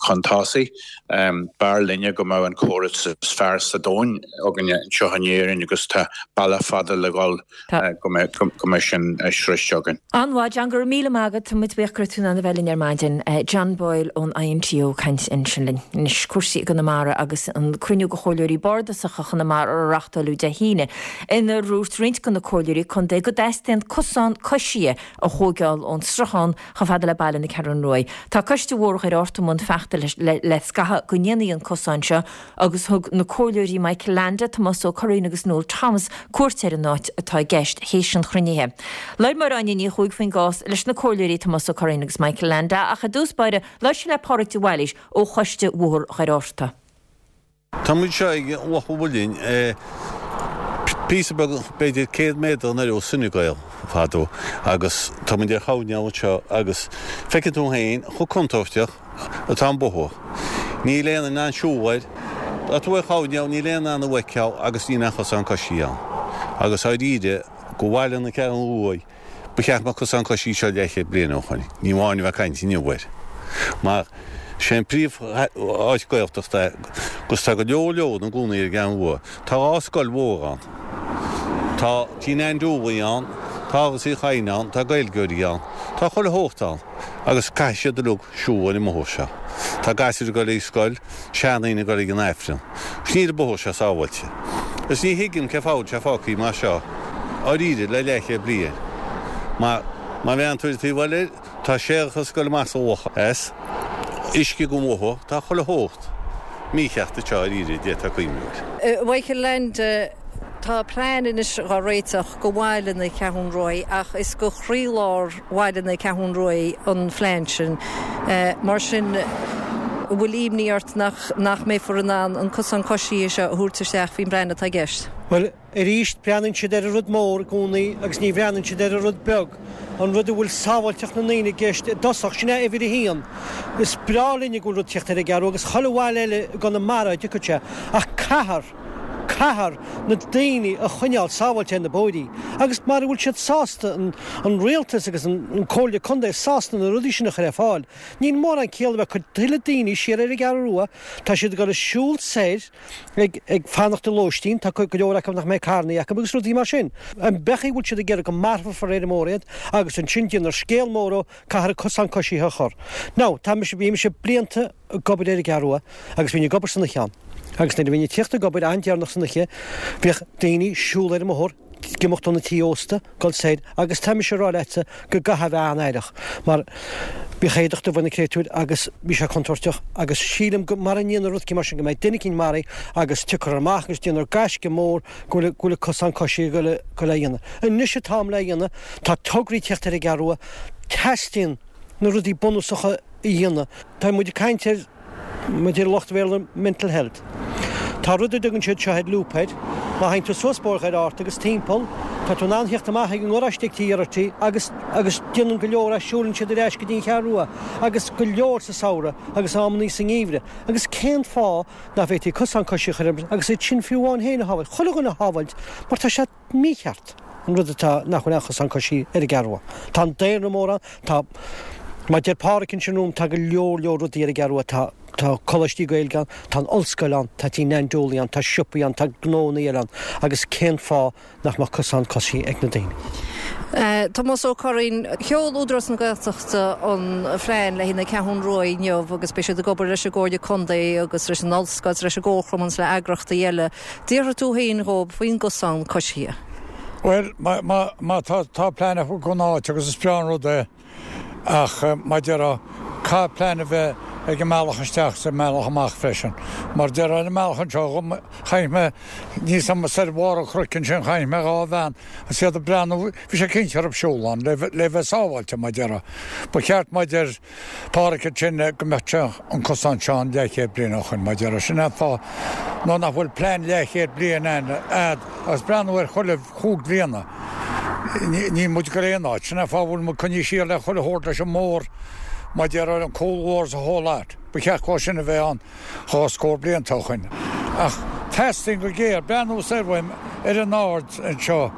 chun tosaigh. B'fhearr linne go mbeadh an córas is fearr sa domhan againne anseo in Éirinn agus tá bealach fada le dhul go mbeidh sin sroichte againn. An-mhaith, John, go raibh míle maith agat. Tá muid buíoch go raibh tú in ann a bheith linn ar maidin. John Boyle ón INTO ag caint ansin linn. Anois, cúrsaí i gConamara agus an cruinniú de chomhairleoirí bardasacha Chonamara a reáchtáileadh Dé hAoine, inar dhúirt roinnt de na comhairleoirí contae go dteastaíonn cosán coisithe a thóigeáil ón sruthán chomh fada le baile na Ceathrún Ruaidh. Tá Coiste Bhóthar Dhoire Fhearta i mbun feachtais le scaitheamh go ndéanfaí an cosán seo agus thug na comhairleoirí Michael Leainde, Tomás Ó Curraoin agus Noel Thomas cuairt ar an áit atá i gceist théis an chruinnithe. Labhair Máire Áine Ní Chuaig faoin gcás leis na comhairleoirí Tomás Ó Curraoin agus Michael Leainde ach i dtús báire labhair sí le Pádraig de Bhailís ó Choiste Bhóthar Dhoire Fhearta. Tá muid seo ag Loch an Mhuilinn, píosa beag, b'fhéidir 100 méadar anoir ó Sinegael fadó agus tá muid ar choirnéal anseo agus feiceann tú féin chomh contúirteach atá an bóthar. Níl aon in ann siúl air. Tá tú ar choirnéal, níl aon in ann a fheiceáil agus níl aon chosán coisí ann. Agus dháiríre, go bhaile na Ceathrún Ruaidh, Ba cheart go mbeadh cosán coisí anseo leathchéad bliain ó shoin. Ní amháin a bheith ag caint inniu air. Mar sé an príomh áit Gaeltachta é agus tá go leor leor ina gcónaí ar an gCeathrú Rua. Tá 2 scoil mhór ann. Tá Tí Nan Dooley ann, tá Áras Uí Chadhain ann, tá Gaeilgeoirí ann. Tá chuile shórt ann agus caithfidh siad uilig siúl ar an mbóthar seo. Tá gasúir ag dul ag scoil, seandaoine ag dul ag an Aifreann. Agus níl an bóthar seo sábháilte. Agus ní thuigim cén fáth a bhfuil sé fágtha mar seo, dháiríre, le leathchéad bliain. Mar, má bhreathnaíonn tú ar an taobh eile, tá séarachas ag dul amach sa loch as, uisce den bhóthar, tá chuile shórt mícheart anseo, dháiríre, d'fhéadfá cuimhniú air. Michael Leainde, Tá plean anois dhá réiteach go bhaile na Ceathrún Ruaidh ach is go chroílár bhaile na Ceathrún Ruaidh an phlean sin. Mar sin, an bhfuil imní ort nach nach mbeifear in ann an cosán coisithe seo a thabhairt isteach faoin bplean atá i gceist? Bhuel, arís, breathnaíonn siad ar an rud mór i gcónaí agus ní bhreathnaíonn siad ar an rud beag, an rud a bhfuil sábháilteacht na ndaoine i gceist i dtosach, sin é uimhir a haon. Is breá linne go bhfuil rud teacht ar an gCeathrú agus chuile bhaile eile i gConamara a dtiocfadh sé, ach caithfear. Caithfear na daoine a choinneáil sábháilte ar na bóithrí agus mara bhfuil siad sásta, an rialtas agus an Comhairle Contae sásta na rudaí sin a chur ar fáil, níl mórán ciall a bheith ag cur tuilleadh daoine siar ar an gCeathrú Rua, tá siad ag dul ag siúl soir ag ag fanacht i lóistín, tá go leor acu nach mbeidh carrannaí acu agus rudaí mar sin. An bechaí a bhfuil siad ag iarraidh go marfófar ar an mbóthar iad agus ansin déanfar scéal mór ó caithfear cosán coisithe a chur. Now, tá mise, bhí mise blianta ag obair ar an gCeathrú Rua agus bhínn ag obair san oíche ann. Agus nuair a bhínn ag tíocht ag obair an-deireanach san oíche, bhíodh daoine ag siúl ar an mbóthar, ag imeacht ó na tithe ósta, dul soir, agus tá mise ag rá leatsa go gcaithfeá a bheith an-aireach, mar bhíodh éadach dubh ar na créatúir agus bhí sé contúirteach agus sílim go mara ndéanfar rud mar sin go mbeidh duine eicínt maraithe agus tiocfar amach agus déanfar gaisce mór go bhfuil go bhfuil cosán coisithe ag dul le dhéanamh. Anois an t-am le dhéanamh, tá tograí ag tíocht ar an gCeathrú Rua, teastaíonn na rudaí bunúsacha a dhéanamh. Tá muid ag caint ar, mar a deir lucht Bhéarla, mental health. Tá rud a dtugann siad seo ar loop air. Má théann tú suas Bóthar Dhoire Fhearta agus timpeall, tá tú in ann theacht amach ag an ngaráiste ag Tigh Geraghty agus agus déanann go leor as, siúlann siad ar ais go dtí an Cheathrú Rua agus go leor sa samhradh agus amannaí sa ngeimhreadh. Agus cén fáth nach bhféadfaí cosán coisithe a chur ar agus iad sin fiú amháin féin a shábháilt, chuile dhuine a shábháilt mar tá sé mícheart an rud atá nach bhfuil aon chosán coisithe ar an gCeathrú Rua. Tá an daonra mór ann, tá, mar deir Pádhraic ansin romham, tá go leor leor rudaí ar an gCeathrú Rua, tá, tá coláistí Gaeilge ann, tá an ollscoil ann, tá Tí Nan Dooley ann, tá siopaí ann, tá gnóanna eile ann agus cén fáth nach mbeadh cosán coisithe ag na daoine? Tomás Ó Curraoin, Sheol Údarás na Gaeltachta an phlean le haghaidh na Ceathrún Rua inniu agus beidh siad ag obair leis an gComhairle Contae agus leis an Ollscoil is leis an gComharchumann is le eagrachtaí eile. Déarfaidh tú féin dhóibh faoin gcosán coisithe. Bhuel, má tá, tá plean acu don áit agus is breá an rud é ach mar déarfá, caithfidh plean a bheith ag an mbealach isteach is an mbealach amach freisin. Mar déarfá ar an mbealach anseo, chonaic mé níos am soir bharr an chnoic ansin, chonaic mé 2 bhean agus iad ag breathnú, bhí sé cinnte orthu siúl ann le bheith sábháilte mar déarfá. Ba cheart mar deir Pádhraic ansin go mbeadh sé an cosán seo ann leathchéad bliain ó shoin, mar déarfá. Sin é an fáth nó nach bhfuil plean leathchéad bliain ann a'd agus breathnú ar chuile chúig bhliana. Níl muid ag dul aon áit. Sin é an fáth a bhfuil muid coinnithe siar le chuile shórt leis an mbóthar. Mar a déarfá an cúl mhór is a whole lot. Ba cheart dhó sin a bheith ann dhá scór blianta ó shoin. Ach teastaíonn go géar, breathnú soir uaim ar an ard anseo,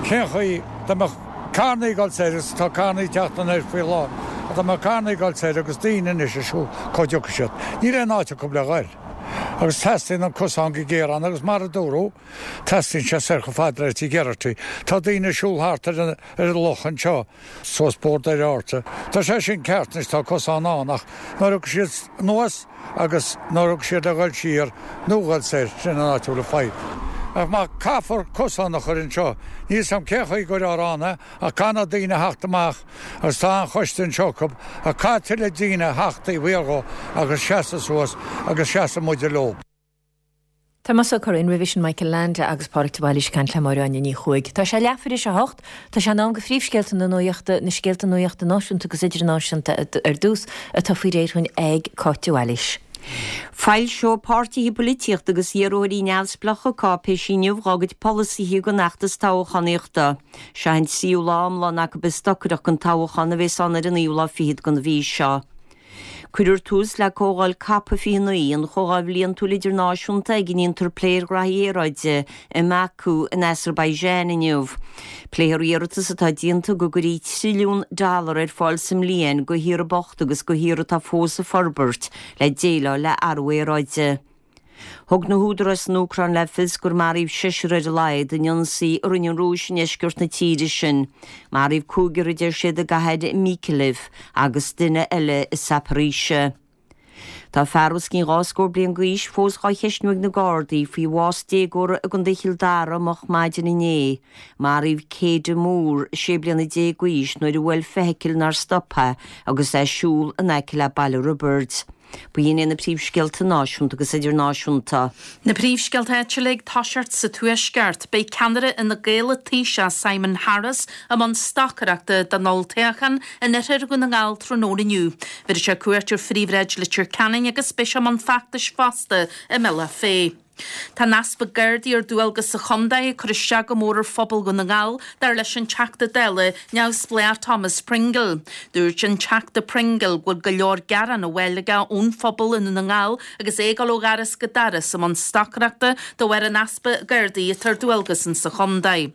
cén chaoi dá mbeadh carrannaí ag dul soir agus tá carrannaí ag teacht anoir faoi láthair, ach dá mbeadh carrannaí ag dul soir agus daoine anois ag siúl, cá dtiocfaidh siad? Níl aon áit acu le ghoil. Agus teastaíonn an cosán go géar ann agus mar a dúradh, teastaíonn sé soir chomh fada le Tigh Geraghty. Tá daoine ag siúl thart ar an ar an loch anseo, suas Bóthar Dhoire Fhearta. Tá sé sin ceart anois, tá cosán ann, ach nuair a thiocfaidh siad anuas agus nuair a thiocfaidh siad le dhul siar nó dhul soir, sin an áit a bhfuil an fadhb. Ach má caithfear cosán a chur anseo, níl 'fhios a'm cén chaoi a gcuirfear ann é, ach caithfidh na daoine a theacht amach agus tá an-choiste anseo acu, ach caithfidh tuilleadh daoine a theacht taobh thiar dhó agus seasamh suas agus seasamh muide leo. Tomás Ó Curraoin, roimhe sin Michael Leainde agus Pádraig de Bhailís ag caint le Máire Áine Ní Chuaig. Tá sé leathuair tar éis a hocht. Tá sé in am do phríomhscéalta na nuachta, na scéalta nuachta náisiúnta agus idirnáisiúnta ar dtús, atá faoi réir dhúinn ag Cáit de Bhailís. Foilseoidh páirtithe polaitíochta agus iarrthóirí neamhspleácha cáipéisí inniu dhá gcuid polasaithe don fheachtas toghchánaíochta. Seo an tríú lá iomlán acu ag stocaireacht don toghchán a bheas ann ar an naoú lá fichead den mhí seo. Cuirfear tús le Comhdháil Cop 29, an chomhdháil bhliantúil idirnáisiúnta ag a ndéantar plé ar ghraithí aeráide, i mBaku in Azerbaijan inniu. Pléifear iarratas atá déanta go gcuirfí trilliún dollar ar fáil sa mbliain do thíortha bochta agus do thíortha atá fós ag forbairt le déileáil le athrú aeráide. Thug na húdaráis san Úcráin le fios gur maraíodh seisear ar a laghad in ionsaí a rinne an Rúis i ndeisceart na tíre sin. Maraíodh cúigear, a deir siad, i gcathair Mykolaiv agus duine eile i Zaporizhzhia. Tá fear os cionn dhá scór bliain d'aois fós dhá cheistniú ag na Gardaí faoi bhás déagóra i gContae Chill Dara moch maidin inné. Maraíodh Céide Moore, 16 bliana d'aois, nuair a bhuail feithicil nár stop é agus é ag siúl in aice le Baile Roibeaird. B'in iad na príomhscéalta náisiúnta agus idirnáisiúnta. Na príomhscéalta áitiúla ag toiseacht sa Tuaisceart. Beidh ceannaire Fhine Gael Taoiseach Simon Harris i mbun stocaireachta don olltoghchán in oirthear Dhún na nGall tráthnóna inniu. Bhéarfaidh sé cuairt ar phríomhshráid Leitir Ceanainn agus beidh sé i mbun feachtais fosta i mBealach Féich. Tá an easpa Gardaí ar dualgas sa chontae ag cur isteach go mór ar phobal Dhún na nGall, dar leis an Teachta Dála neamhspleách Thomas Pringle. Dúirt an Teachta Pringle go bhfuil go leor gearán á bhfáil aige ón phobal i nDún na nGall agus é ag dul ó dhoras go doras i mbun stocaireachta de bharr an easpa Gardaí atá ar dualgas insa chontae.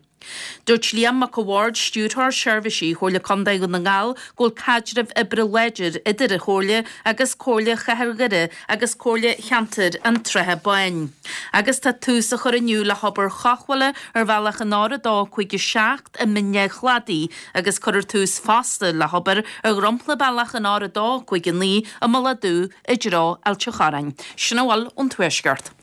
Dúirt Liam Mac a' Bhaird, Stiúrthóir Seirbhísí Chomhairle Contae Dhún na nGall, go bhfuil caidreamh oibre láidir idir an Chomhairle agus Comhairle Chathair Dhoire agus Comhairle Cheantair an tSratha Báin. Agus tá tús á chur inniu le hobair chothabhála ar bhealach an R2 57 i mBinn a' Chladaigh agus cuirfear tús fosta le hobair ar dhromchla bealach an R2 59 i mBealach Dubh i dtreo Ailt an Chorráin. Sin a bhfuil ón Tuaisceart.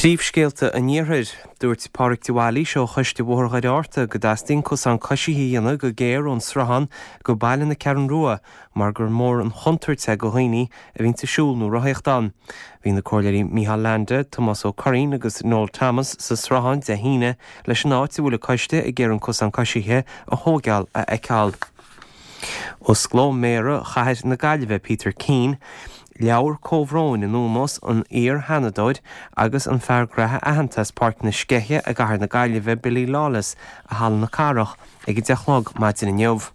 Príomhscéalta an Iarthair. Dúirt Pádraig de Bhailís ó Choiste Bhóthar Dhoire Fhearta go dteastaíonn cosán coisithe a dhéanamh go géar ón Sruthán go baile na Ceathrún Rua mar gur mór an chontúirt é go dhaoine a bhíonns ag siúl nó rothaíocht ann. Bhí na Comhairleoirí Micheál Leainde, Tomás Ó Curraoin agus Noel Thomas sa Sruthán Dé hAoine leis an áit a bhfuil an coiste ag iarraidh an cosán coisithe a thóigeáil a fheiceáil. Osclóidh Méara Chathair na Gaillimhe Peter Keane leabhar comhbhróin in ómós an iar-Sheanadóir agus an fear graithe aitheanta as Páirc na Sceiche i gCathair na Gaillimhe Billy Lawless i Halla na Cathrach ag 10 a chlog maidin inniu.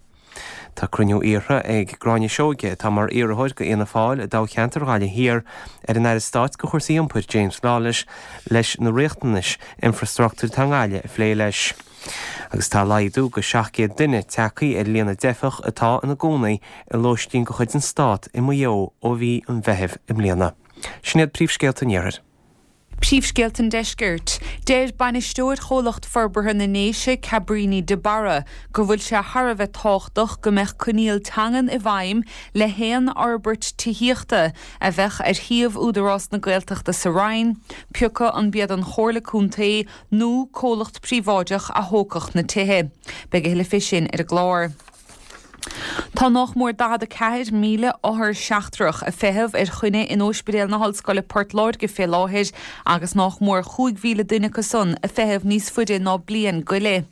Tá cruinniú iarrtha ag Gráinne Seoige, atá mar iarrthóir do Fhianna Fáil i dtoghcheantar Ghaillimh Thiar, ar an Aire Stáit do chúrsaí Iompair James Lawless leis na riachtanais infreastruchtúir atá i nGaillimh a phlé leis. Agus tá laghdú go 700 duine tagtha ar líon na dteifeach atá ina gcónaí i lóistín de chuid an Stát i Maigh Eo ó mhí an Mheithimh i mbliana. Sin iad príomhscéalta an Iarthair. Príomhscéalta an Deiscirt. Deir bainisteoir Chomhlacht Forbartha na nDéise, Cabríní de Barra, go bhfuil sé thar a bheith tábhachtach go mbeadh coinníoll teangan i bhfeidhm le haon fhorbairt tithíochta a bheadh ar shuíomh Údarás na Gaeltachta sa Rinn, pioca an b'iad an Chomhairle Contae nó comhlacht príobháideach a thógfadh na tithe. Beidh a thuilleadh fé sin ar an gclár. Tá nách mór 44,000 othar seachtrach ag feitheamh ar choinne in Óispidéal na hOllscoile Port Láirge fé láthair agus nách mór 5,000 duine acu san ag feitheamh níos faide ná bliain go leith.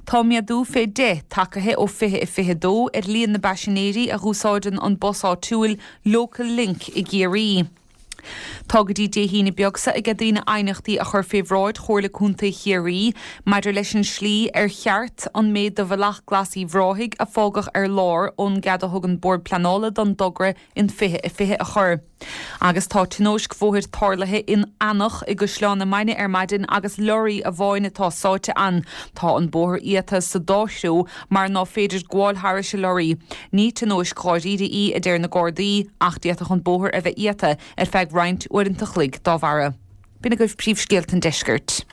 Tá méadú fé dheich tagaithe ó 2022 ar líon na bpaisinéirí a dh'úsáideann an bus áitiúil Local Link i gCiarraí. Tá go dtí Dé hAoine beag seo aige daoine aighneachtaí a chur fé bhráid Chomhairle Contae Chiarraí maidir leis an slí ar cheart an méid de Bhealach Glas Uíbh Ráthaigh a fágadh ar lár ón gcead a thug an Bord Pleanála don dtogra in 2020 a chur. Agus tá tionóisc bhóthair tarlaithe in Eanach i gCaisleán na Mainge ar maidin agus leoraí amháin atá sáite ann. Tá an bóthar iata sa dá threo mar ná féidir gabháil thairis an leoraí. Ní tionóisc dháiríre í, a deir na Gardaí, ach d'fhéadfadh an bóthar a bheith iata ar feadh roinnt uaireanta chloig dá bharra. B'in agaibh príomhscéalta an deiscirt.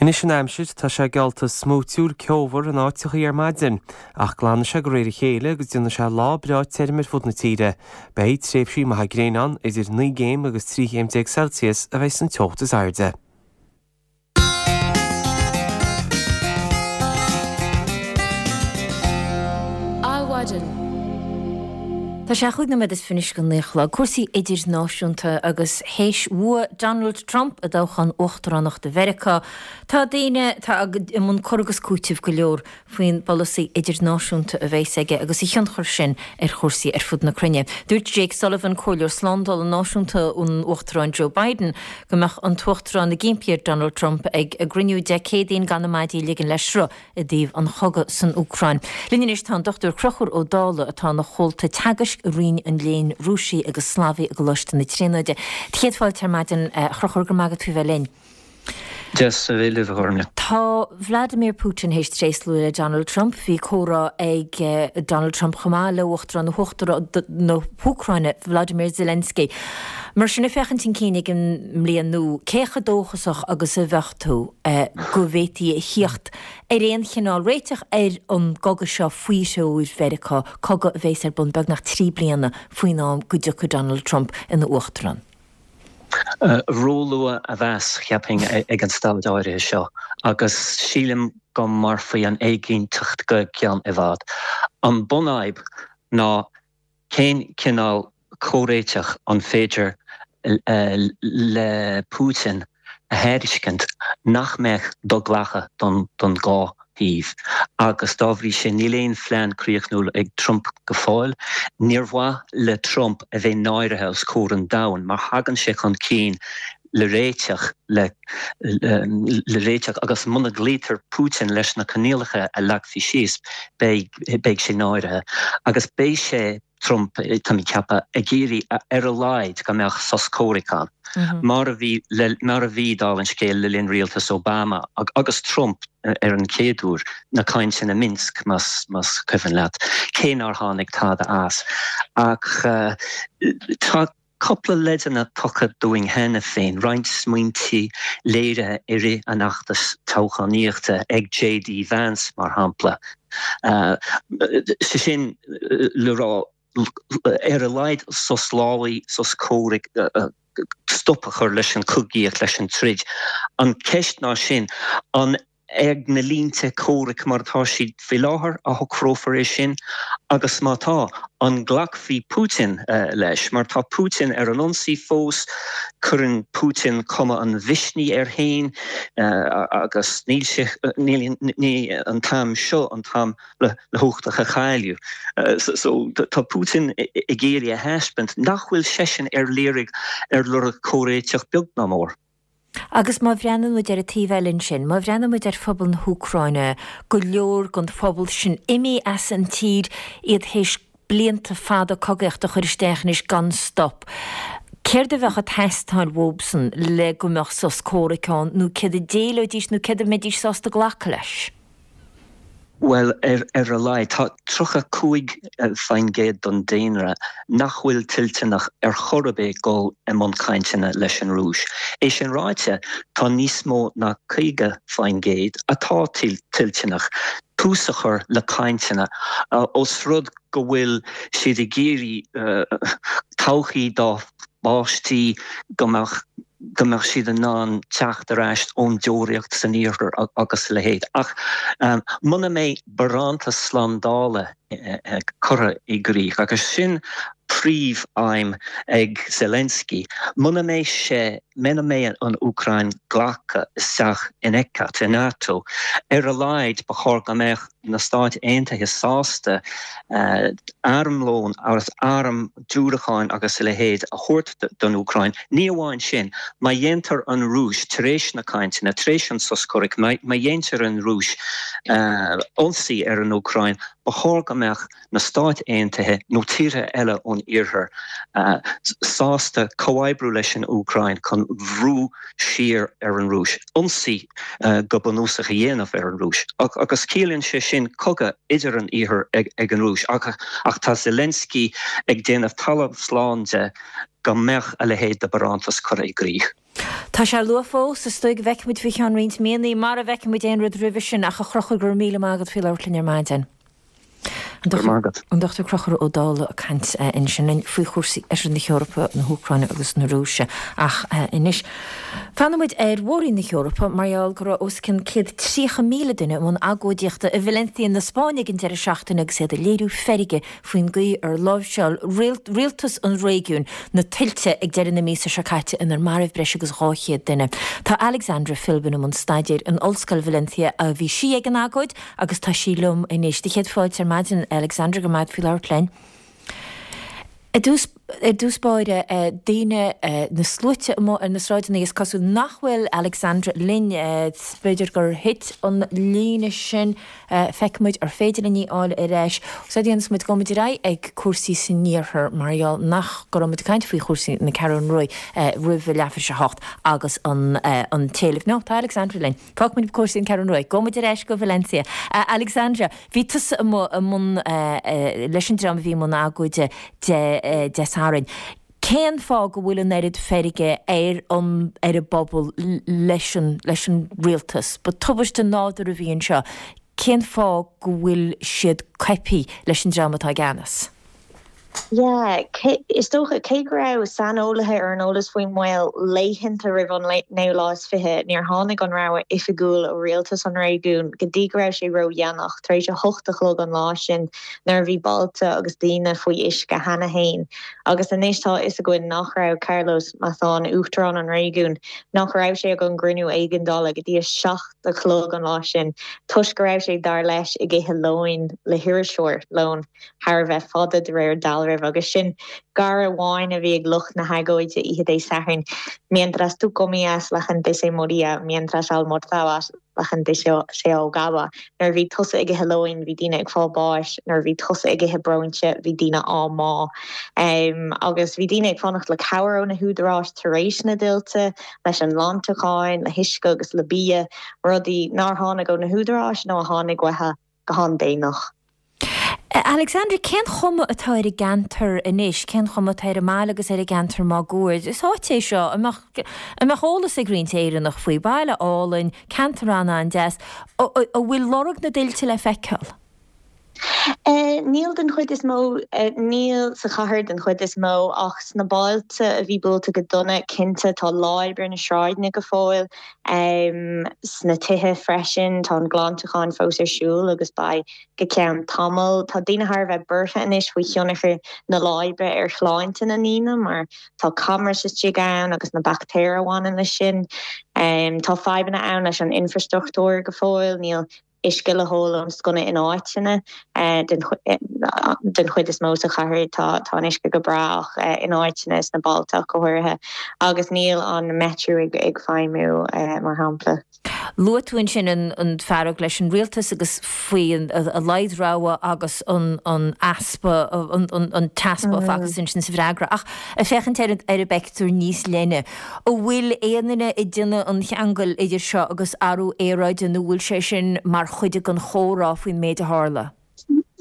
Anois an aimsir, tá sé geallta smúitiúil ceomhar in áiteachaí ar maidin, ach glanfaidh sé de réir a chéile agus déanfaidh sé lá breá tirim ar fud na tíre. Beidh tréimhsí maithe gréine ann, idir 9 gcéim agus 13 chéim Celsius a bheidh san teocht is airde. Adhmhaidin. Tá sé chúig nóiméad is fiche anois go naoi a chlog. Cúrsaí idirnáisiúnta agus théis bhua Donald Trump i dtoghchán uachtaránachta Mheiriceá, tá daoine atá i mbun cur agus cúitimh go leor faoin bpolasaí idirnáisiúnta a bheas aige agus a thionchar sin ar chúrsaí ar fud na cruinne. Dúirt Jake Sullivan, Comhairleoir Slándála Náisiúnta an Uachtaráin Joe Biden, go mbeadh an tUachtarán ag impí ar Donald Trump ag a gcruinniú Dé Céadaoin gan na maidí a ligean le sruth i dtaobh an chogaidh san Úcráin. Linn anois tá an Dr Conchúr Ó Dálaigh atá ina chomhalta teagaisc i Roinn an Léinn Rúisigh agus Slavaigh i gColáiste na Tríonóide. Céad fáilte ar maidin, a Chonchúir, go raibh maith agat faoi bheith linn. Deas a bheith libh, a Ghormfhlaith. Tá Vladimir Putin théis tréaslú le Donald Trump. Bhí comhrá ag Donald Trump chomh maith le Uachtarán na hÚcráine, Volodymyr Zelensky. Mar sin, ag féachaint chun cinn ag an mbliain nua, cé chomh dóchasach agus a bheadh tú go bhféadfaí a thíocht ar aon chineál réiteach ar an gcogadh seo faoi threoir Mheiriceá, cogadh a bheas ar bun beagnach 3 bliana faoin am go dtiocfaidh Donald Trump ina Uachtarán? Róluath a mheas, cheapfainn, ag an staid áirithe seo, agus sílim go mairfidh an éiginnteacht go ceann i bhfad. An bunfhadhb ná cén cineál comhréiteach an féidir le Putin a thairiscint nach mbeadh do-ghlactha don dhá thaobh agus dá bhrí sin níl aon phlean críochnúil ag Trump go fóill. Níor mhaith le Trump a bheith náirithe os comhair an domhain má thagann sé chun cinn le réiteach le le réiteach agus muna gcloítear Putin leis na coinníollacha a leagfaí síos beidh beidh sé náirithe agus beidh sé Trump, tá mé ag ceapadh, ag iarraidh ar a laghad go mbeadh sos comhraic ann, mar a bhí mar a bhí, dála an scéil, le linn rialtas Obama agus Trump ar an chéad uair, na cainteanna Minsk, más más cuimhin leat, cé nár tháinig tada as. Ach tá cúpla leideanna tugtha dúinn cheana féin, roinnt smaointe léirithe i rith an fheachtais toghchánaíochta ag JD Vance, mar shampla. Sé sin le rá, ar a laghad sos lámhaigh, sos comhraic, stop a chur leis an chogaíocht, leis an troid. An cheist ná sin, an ag na línte comhraic mar atá siad faoi láthair a shocrófar é sin agus má tá, an nglacfaidh Putin leis? Mar tá Putin ar an ionsaí fós, cuireann Putin cuma an mhisnigh air féin agus níl sé, níl, ní an t-am seo an t-am le huchtach a chailleadh. So tá Putin ag iarraidh a thaispeáint nach bhfuil seisean ar iarraidh, ar lorg comhréiteach beag ná mór. Agus má bhreathnaíonn muid ar an taobh eile ansin, má bhreathnaíonn muid ar phobal na hÚcráine, go leor den phobal sin imithe as an tír, iad théis blianta fada cogaíochta a chur isteach anois gan stop. Céard a bheadh ag teastáil uathubsan le go mbeadh sos comhraic ann, nó céard a d'éileoidís nó céard a mbeidís sásta glacadh leis? Bhuel, ar a laghad, tá 35% den daonra nach bhfuil toilteanach ar chor ar bith dul i mbun cainteanna leis an Rúis. É sin ráite, tá níos mó ná 50% atá toilteanach tús a chur le cainteanna, ós rud go bhfuil siad ag iarraidh todhchaí dá bpáistí, go mbeadh go mbeadh siad in ann teacht ar ais ón deoraíocht san iarthar agus a leithéid. Ach muna mbeidh barántas slándála curtha i gcrích, agus sin príomhaidhm ag Zelensky, muna mbeidh sé, muna mbeidh an Úcráin glactha isteach in ECAT, i NATO, ar a laghad ba chóir go mbeadh. na Stáit Aontaithe sásta armlón agus airm diúracáin agus a leithéid a thabhairt don Úcráin. Ní amháin sin, má dhéantar an Rúis, tar éis na cainteanna, tar éis an sos comhraic, má dhéantar an Rúis ionsaí ar an Úcráin, ba chóir go mbeadh na Stáit Aontaithe nó tíortha eile ón Iarthar sásta comhoibriú leis an Úcráin chun brú siar ar an Rúis, ionsaí go bunúsach a dhéanamh ar an Rúis. Agus ciallaíonn sé sin cogadh idir an Iarthar ag an Rúis. Ach tá Zelensky ag déanamh talamh slán de go mbeadh a leithéid de bharántas curtha i gcrích. Tá sé luath fós, is dóigh go bhfeicfimid faoi cheann roinnt míonna, mara bhfeicfimid aon rud roimhe sin, ach a Chrochúir, go raibh míle maith agat faoi labhairt linn ar maidin. An Dr Crochúr Ó Dálaigh ag caint ansin linn faoi chúrsaí Oirthear na hEorpa, na hÚcráine agus na Rúise. Ach anois, fanfaidh muid ar mhór-roinn na hEorpa mar gheall go raibh os cionn 130,000 duine i mbun agóidíochta i Valencia na Spáinne ag an deireadh seachtaine agus iad ag léiriú feirge faoin gcaoi ar láimhseáil rialtas an réigiúin na tuilte ag deireadh na míosa seo caite inar marbh breis agus 200 duine. Tá Alexandra Philbin i mbun staidéir in Ollscoil Valencia a bhí sí ag an agóid Agus tá sí liom anois. Do chéad fáilte ar maidin, Alexandra, go raibh maith agat faoi labhairt linn. Ar dtús, ar dtús báire, daoine, na sluaite amuigh ar na sráideanna, is cosúil nach bhfuil Alexandra linn, b'fhéidir gur thit an líne sin, feicfimid ar féidir linn í fháil ar ais. Is é a dhéanfas muid, gabhfaidh muid ar aghaidh ag cúrsaí san iarthar mar gheall nach go raibh muid ag caint faoi chúrsaí na Ceathrún Rua roimh a leathuair tar éis a hocht agus an, an t-éileamh. No, tá Alexandra linn. Fágfaidh muid cúrsaí an Ceathrún Rua. Gabhfaidh muid ar ais go Valencia. Alexandra, bhí tusa amuigh i mbun, leis an dream a bhí i mbun agóide Dé Sathairn. Cén fáth go bhfuil an oiread feirge ar an, ar an bpobal leis an, leis an rialtas? Ba tubaiste nádúrtha a bhí anseo. Cén fáth go bhfuil siad coipthe leis an dream atá i gceannas? Yeah, is dócha, cé go raibh saineolaithe ar an eolas faoin mbaol laethanta roimh an naoú lá is fiche, níor tháinig an rabhadh oifigiúil ó rialtas an réigiúin go dtí go raibh sé ródhéanach, tar éis a hocht a chlog an lá sin, nuair a bhí bailte agus daoine faoi uisce cheana féin. Agus anois tá a fhios againn nach raibh Carlos Mazón, uachtarán an réigiúin, nach raibh sé ag an gcruinniú éigeandála go dtí a seacht a chlog an lá sin, toisc go raibh sé, dar leis, ag ithe lóin le hiriseoir, lón thar a bheith fada de réir dealraimh, agus sin gáire amháin a bhí ag lucht na hagóide oíche Dé Sathairn, Mientras tú comías, la gente se moría, mientras almorzabas, la gente se ahogaba. Nuair a bhí tusa ag ithe lóin, bhí daoine ag fáil báis, nuair a bhí tusa ag ithe bróinse, bhí daoine á mbá. Agus bhí daoine ag fanacht le cabhair ó na húdaráis tar éis na dtuilte, leis an nglantachán, le huisce agus le bia, rudaí nár tháinig ó na húdaráis nó a tháinig uathu go han-déanach. Alexandra, cén chuma atá ar an gceantar anois? Cén chuma atá ar an mbaile agus ar an gceantar máguaird? Is áit é seo a mbeadh, a mbeadh eolas ag roinnt Éireannach faoi. Baile álainn, ceantar an-an-deas. An bhfuil lorg na dtuilte le feiceáil? Níl den chuid is mó, níl sa chathair den chuid is mó ach sna bailte a bhí buailte go dona, cinnte, tá láib ar na sráideanna go fóill. Sna tithe freisin, tá an glantachán fós ar siúl agus beidh go ceann tamaill. Tá daoine thar a bheith buartha anois faoi thionchar na láibe ar shláinte na ndaoine mar tá camrais istigh ann agus na baictéir a bhaineann leis sin. Tá fadhbanna ann leis an infreastruchtúr go fóill, níl uisce le hól ón sconna in áiteanna. Den chuid is mó sa chathair tá an uisce go breá ach in áiteanna sna bailte ach go háirithe agus níl an metro ag feidhmiú mar shampla. Luaigh tú ansin an fearg leis an rialtas agus faoi a laghad rabhadh agus an easpa, an t-easpa a facthas ansin sa bhfreagra. Ach ag féachaint ar an bpeictiúr níos leithne, An bhfuil aon duine ag déanamh an cheangail idir seo agus athrú aeráide nó bhfuil sé sin mar chuid den chomhrá faoin méid a tharla?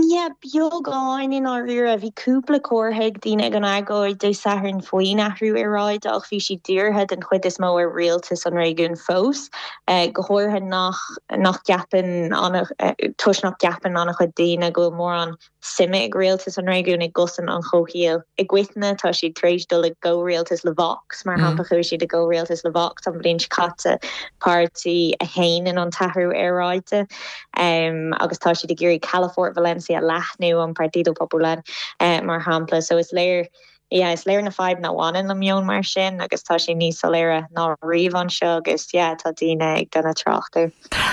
Yeah, beagán i ndáiríre. Bhí cúpla comhartha ag daoine ag an agóid Dé Sathairn faoin athrú aeráide ach bhí siad dírithe den chuid is mó ar rialtas an réigiúin fós, go háirithe nach nach gceapann toisc nach gceapann an-chuid daoine go bhfuil mórán suime ag rialtas an réigiúin i gcosaint an chomhshaoil. I gcoitinne, tá siad tar éis dul i gcomhrialtas le Vox, mar shampla, chuaigh siad i gcomhrialtas le Vox an bhliain seo caite, páirtí a shéanann an t-athrú aeráide, agus tá siad ag iarraidh calafort Valencia a leathnú, an Partido Popular, mar shampla. So is léir. Yeah, is léir na fadhbanna a bhaineann le meon mar sin agus tá sé níos soiléire ná riamh anseo agus yeah, tá daoine ag déanamh trácht air.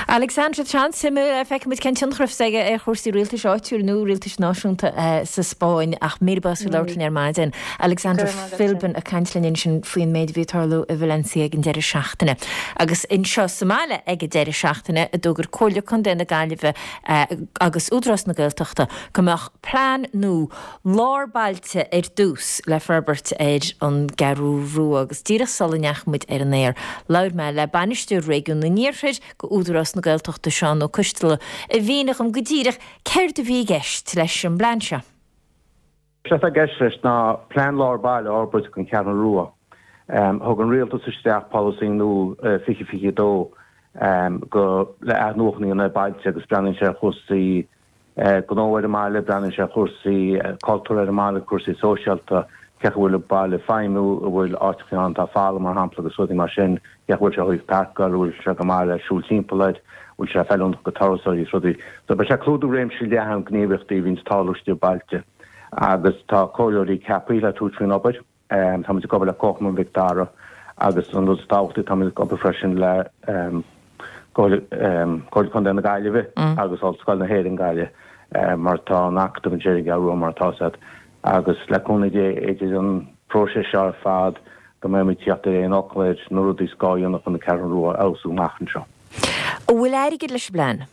Alexandra, tá an-suimiúil, feicfidh muid cén tionchar a bheas aige ar chúrsaí rialtais áitiúil nó rialtais náisiúnta sa Spáinn ach míle buíochas as labhairt linn ar maidin. Alexandra Philbin ag caint linn ansin faoin méid a bhí ag tarlú i Valencia ag an deireadh seachtaine. Agus anseo sa mbaile ag an deireadh seachtaine a d'fhógair Comhairle Contae na Gaillimhe agus Údarás na Gaeltachta go mbeadh plean nua lár bailte ar dtús le forbairt ar an gCeathrú Rua agus díreach sula ndeachaigh muid ar an aer labhair mé le Bainisteoir Réigiún an Iarthair go Údarás na Gaeltachta Seán Ó Coisteala a mhínigh dhom go díreach céard a bhí i gceist leis an bplean seo. Is é atá i gceist leis ná plean lár baile a fhorbairt don Cheathrú Rua. Thug an Rialtas isteach polasaí nua 2022 go le athnuachan a dhéanamh ar bailte agus breathnaíonn sé ar chúrsaí gnó ar an mbaile, breathnaíonn sé ar chúrsaí cultúrtha ar an mbaile, cúrsaí sóisialta, cén chaoi a bhfuil an baile ag feidhmiú, an bhfuil áiteacha ann atá folamh, mar shampla, agus rudaí mar sin, cén chaoi a bhfuil sé ó thaobh páirceáil, an bhfuil sé go maith le siúl timpeall air, an bhfuil sé feiliúnach go turasóirí is rudaí. So beidh sé ag clúdú réimse leathan gníomhaíochtaí a bhíonns ag tarlú istigh i bailte agus tá comhairleoirí ceaptha le tabhairt faoin obair. Táimid ag obair le Comharchumann Mhic Dara agus an rud is tábhachtaí, táimid ag obair freisin le Comhairle Contae na Gaillimhe agus Ollscoil na hÉireann Gaillimh mar tá an Acadamh ansin ar an gCeathrú Rua mar atá 'fhios a'd agus le cúnamh Dé idir an próiseas seo ar fad go mbeimid ag teacht ar aon fhocal ar na rudaí is gá a dhéanamh chun an Cheathrú Rua a fheabhsú amach anseo. An bhfuil airgead leis an bplean?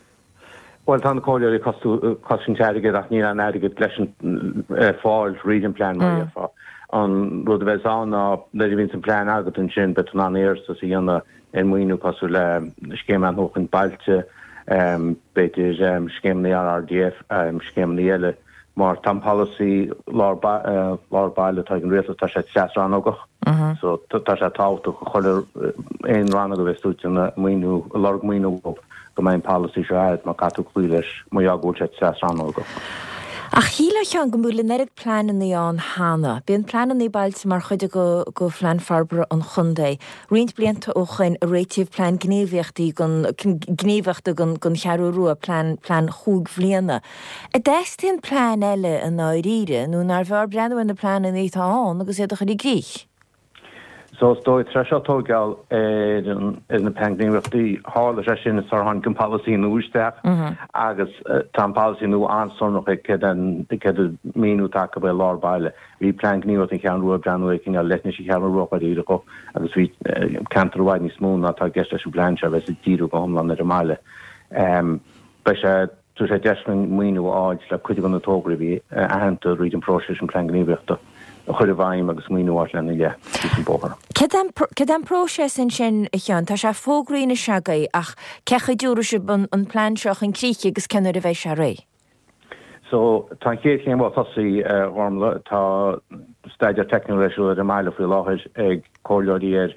Bhuel, tá na comhairleoirí ag cosaint airgid ach níl aon airgead leis an ar fáil thríd an plean mar a déarfá. An rud a bheas ann ná nuair a bhíonns an plean agat ansin beidh tú in ann iarratas a dhéanamh ar maoiniú cosúil le Scéim Athnuachan Bailte, b'fhéidir scéimeanna RRDF, scéimeanna eile. Mar tá an polasaí lár lár baile atá ag an rialtas, tá sé tras-rannógach. So tá sé tábhachtach do chuile aon rannóg a bheas tú ag déanamh maoiniú, ag lorg maoiniú uathu go mbeidh an polasaí seo a'd mar caithfidh tú cloí leis mar gheall go bhfuil sé tras-rannógach. Ach shílfeá a Sheáin go bhfuil an oiread pleananna ann cheana. Bíonn pleananna bailte mar chuid de phlean forbartha an chontae. Roinnt blianta ó shoin a réitíodh plean gníomhaíochtaí don gníomhaíochta don Cheathrú Rua, plean plean chúig bhliana. An dteastaíonn plean eile i ndáiríre, nó nárbh fhearr breathnú ar na pleananna atá ann agus iad a chur i gcrích? So is dóigh, tar éis seo tógáil ar ar na plean gníomhaíochtaí, tharla sé sin sular tháinig an polasaí nua isteach agus tá an polasaí nua an-sonrach ag céard an céard an míniú atá acu ar lár baile. Bhí plean gníomhaíochta an Cheathrú Rua ag breathnú ar chineál leithinis an Cheathrú Rua dháiríre agus bhí ceantar i bhfad níos mó ná atá i gceist leis an bplean seo a bheas ag díriú go hiomlán ar an mbaile. Beidh sé Tabharfaidh sé deis dúinn maoiniú a fháil le cuid de na tograí a bhí aitheanta thríd an bpróiseas an Plean Gníomhaíochta a chur i bhfeidhm agus maoiniú a fháil lena leith síos an bóthar. Céard é an próiseas ansin, a Sheáin? Tá sé fógraithe anois agaibh ach cén chaoi a dtabharfaidh sibh an plean seo chun críche agus cén uair a bheidh sé réidh? So, tá an chéad chéim tosaithe, a Ghormlaith. Tá staidéar teicniúil ar siúl ar an mbaile faoi láthair ag comhairleoirí ar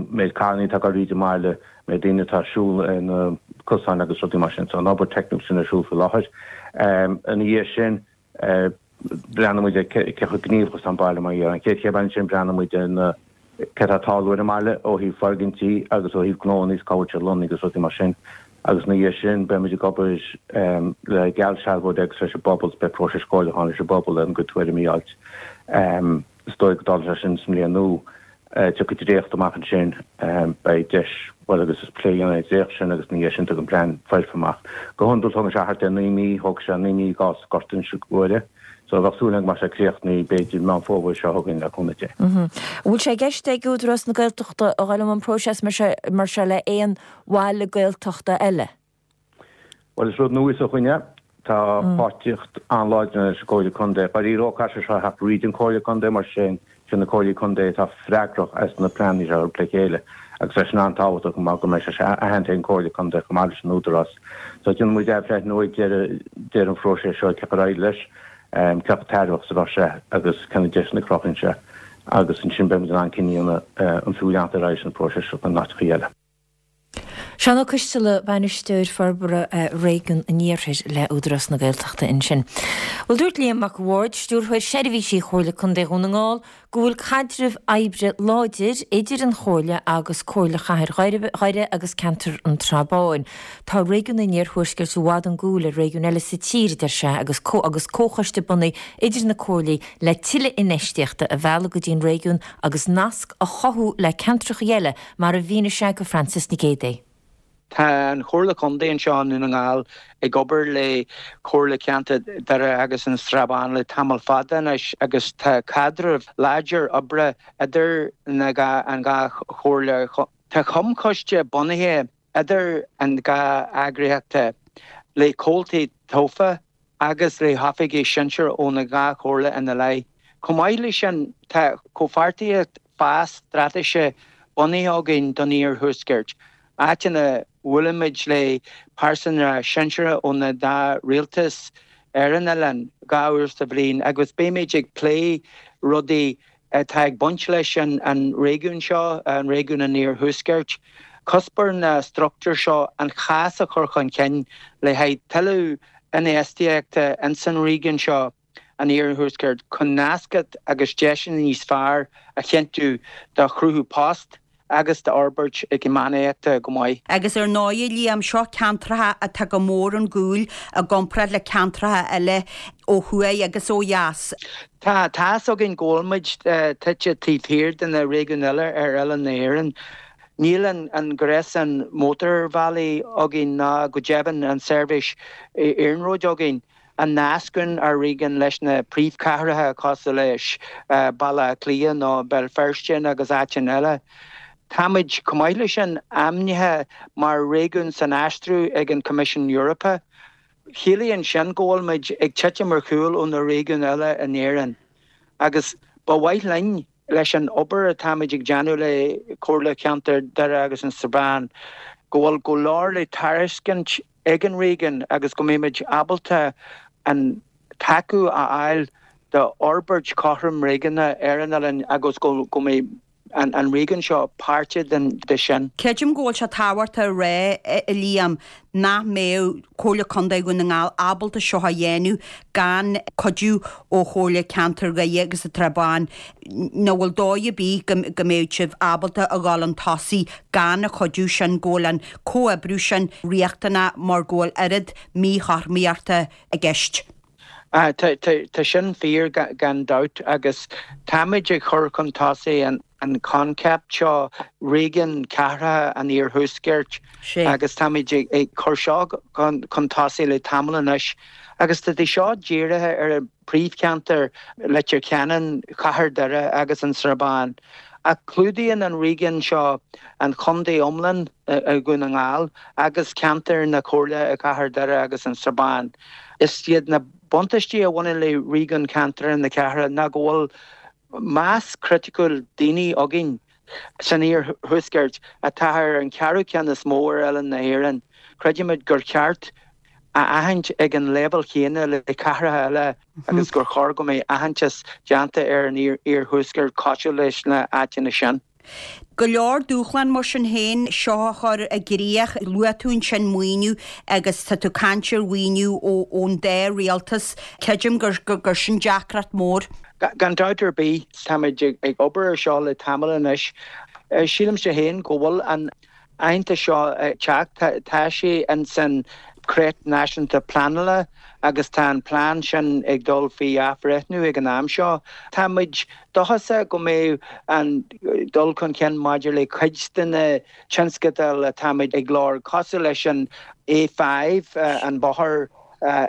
méid carrannaí atá ag dul thríd an mbaile, méid daoine atá ag siúl ar na cosáin agus rudaí mar sin. So an obair teicniúil sin ar siúl faoi láthair. Ina dhiaidh sin, breathnóidh muid ar cé chomh gníomhach is atá an baile mar gheall. An chéad chéim eile ansin, breathnóidh muid ar na céard atá ag tarlú ar an mbaile ó thaobh foirgintí agus ó thaobh gnóanna is cá bhfuil siad lonnaithe agus rudaí mar sin. Agus ina dhiaidh sin, beidh muid ag obair le geallsealbhóirí agus leis an bpobal, beidh próiseas comhairliúcháin leis an bpobal ar an gcuid tuairimí a fháilt. Is dóigh go dtarlóidh sé sin sa mbliain nua. Tiocfaidh dréacht amach ansin, beidh deis, bhuel agus is plé a dhéanamh ar an dréacht sin agus ina dhiaidh sin tagann plean foirfe amach. Go hiondúil tógann sé thart ar 9 mí, thóg sé 9 mí i gcás Ghort Inse Guaire, so bheadh súil agam go mbeadh sé críochnaithe b'fhéidir Meán Fómhair seo chugainn le cúnamh Dé. An bhfuil sé i gceist ag Údarás na Gaeltachta a dhul i mbun próiseas mar seo le aon bhaile Gaeltachta eile? Bhuel, is rud nua é seo dhúinne. Tá páirtíocht an-láidir leis an Comhairle Contae. Dáiríre caithfidh sé seo a theacht thríd an Comhairle Contae mar sin sin na Comhairlí Contae atá freagrach as na pleananna seo a thabhairt le chéile agus tá sin an-tábhachtach mar go mbeidh sé aitheanta ag an Comhairle Contae chomh maith leis an Údarás. So déanfaidh muid athbhreithniú ag deireadh deireadh an phróiseas seo cé chomh ar aghaidh leis, cé chomh tairbheach is a bheadh sé agus cé na deiseanna a chruthaíonn sé agus ansin beidh muid in ann cinneadh a dhéanamh an fiú leanacht ar aghaidh leis an bpróiseas seo in áiteacha eile. Seán Ó Coisteala, Bainisteoir Forbartha Réigiún an Iarthair le Údarás na Gaeltachta ansin. Bhuel, dúirt Liam Mac a' Bhaird, Stiúrthóir Seirbhísí Chomhairle Contae Dhún na nGall, go bhfuil caidreamh oibre láidir idir an Chomhairle agus Comhairle Chathair Dhoire agus Ceantar an tSrath Báin. Tá réigiún an Iarthuaiscirt i bhfad chun cúil ar réigiúin eile sa tír, a deir sé, agus agus comhchoiste bunaithe idir na comhairlí le tuilleadh infheistíochta a mhealladh go dtí an réigiún agus nasc a chothú le ceantracha eile mar a mhínigh sé go Frances Nic Géadaigh. Tá an Chomhairle Contae anseo i nDún na nGall ag obair le Comhairle Ceantair Dhoire agus an Srath Bán le tamall fada anois agus tá caidreamh láidir oibre idir na an dhá chomhairle. Tá comhchoiste bunaithe idir an dhá eagraíocht le comhaltaí tofa agus le hoifigigh sinsir ó na dhá chomhairle ina leith. Chomh maith leis sin, tá comhpháirtíocht fás straitéise bunaithe againn don Iarthuaisceart, áit ina bhuailimid le pearsanra sinseartha ó na dá rialtas ar an oileán 2 uair sa bhliain agus beimid ag plé rudaí atá ag baint leis an réigiún seo, an réigiún an Iarthuaiscirt. Cuspóir na struchtúr seo an chás a chur chun cinn le haghaidh tuilleadh infheistíochta ins an réigiún seo, an Iarthuaiscirt, chun nascacht agus deiseanna níos fearr a chinntiú do chruthú post, agus d'fhorbairt eacnamaíochta go maith. Agus ar ndóigh, a Liam, seo ceantracha atá go mór chun cúil i gcomparáid le ceantracha eile ó thuaidh agus ó dheas. Tá tá's againn go bhfuil muid tite taobh thiar de na réigiúin eile ar oileán na hÉireann. Níl an gréasán mótarbhealaí againn ná go deimhin an seirbhís iarnróid againn. a nascann ár réigiún leis na príomhchathracha cosúil leis Baile Átha Cliath nó Béal Feirste agus áiteanna eile. Táimid, chomh maith leis sin, ainmnithe mar réigiún san aistriú ag an Coimisiún Eorpach. Ciallaíonn sin go bhfuil muid ag titim ar chúl ó na réigiúin eile in Éirinn agus ba mhaith linn, leis an obair atáimid ag déanamh le Comhairle Cheantair Doire agus an Srath Bán, go bhfuil go leor le tairiscint ag an réigiún agus go mbeimid ábalta an tacú a fháil d'fhorbairt chothrom réigiúnach ar an oileán agus go mbeidh an réigiún seo páirteach de sin. Creidim go bhfuil sé tábhachtach a rá, a Liam, nach mbeadh Comhairle Contae Dhún na nGall ábalta seo a dhéanamh gan cuidiú ó Chomhairle Ceantair Dhoire agus an tSrath Báin. Nach bhfuil dóigh ar bith go mbeadh sibh ábalta a dhul chun tosaigh gan an chuidiú sin, go bhfuil an comhoibriú sin riachtanach mar go bhfuil oiread míchothromaíochta i gceist. Tá sin fíor gan dabht agus táimid ag cur chun tosaigh an coincheap seo, réigiún cathartha an Iarthuaiscirt agus táimid ag cur seo chun tosaigh le tamall anois agus tá seo dírithe ar an príomhcheantar, Leitir Ceanainn, Cathair Dhoire agus an Srath Bán. Ach clúdaíonn an réigiún seo an chontae iomlán i Dhún na nGall agus ceantar na Comhairle i gCathair Dhoire agus an Srath Bán. Is iad na buntáistí a bhaineann le réigiún ceantair na cathrach ná go bhfuil mais chriticiúil daoine againn san iarthuaisceart, atá ar an cheathrú ceann is mó ar oileán na hÉireann. Creidimid gur cheart a aithint ag an leibhéal chéanna le cathracha eile agus gur chóir go mbeidh aitheantas déanta ar an iarthuaisceart cosúil leis na áiteanna sin. Go leor dúshlán mar sin féin seo a chur i gcrích. Luaigh tú ansin maoiniú agus tá tú ag caint ar mhaoiniú ón dá rialtas. Creidim gur sin deacracht mór. Gan dabht ar bith, táimid ag obair ar seo le tamall anois. Sílimse féin go bhfuil an aitheantas seo ag teacht. Tá sé ins an Creat Náisiúnta Pleanála agus tá an plean sin ag dul faoi athbhreithniú ag an am seo. Tá muid dóchasach go mbeidh an dul chun cinn maidir le cuid de na tionscadail atáimid ag lorg, cosúil leis an A5, an bóthar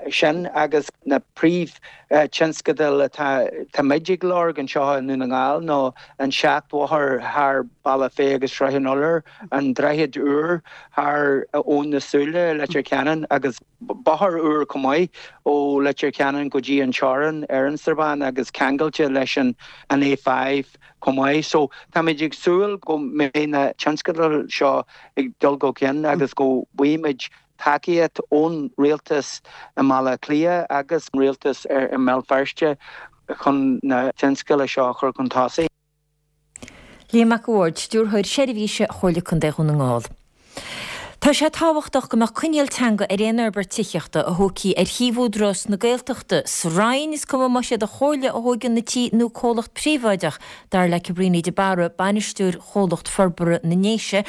sin agus na príomhthionscadail atá muid ag lorg anseo i nDún na nGall ná an seachbhóthar thar Bealach Féich agus Srath an Iolair, an droichead úr thar Abhainn na Súile i Leitir Ceanainn agus bóthar úr chomh maith ó Leitir Ceanainn go dtí an teorainn ar an Srath Bán agus ceangailte leis an A5 chomh maith. So táimid ag súil go mbeidh na tionscadail seo ag dul go cinn agus go bhfaighimid tacaíocht ón rialtas i mBaile Átha Cliath agus an rialtas i mBéal Feirste chun na tionscadail seo a chur chun tosaigh. Liam Mac a' Bhaird, Stiúrthóir Seirbhíse Chomhairle Contae Dhún na nGall. Tá sé tábhachtach go mbeadh coinníoll teanga ar aon fhorbairt tithíochta a thógfaí ar shuíomh Údarás na Gaeltachta sa Rinn, is cuma más iad an Chomhairle a thóigeann na tithe nó comhlacht príobháideach, dar le Cabríní de Barra, bainisteoir Chomhlacht Forbartha na nDéise.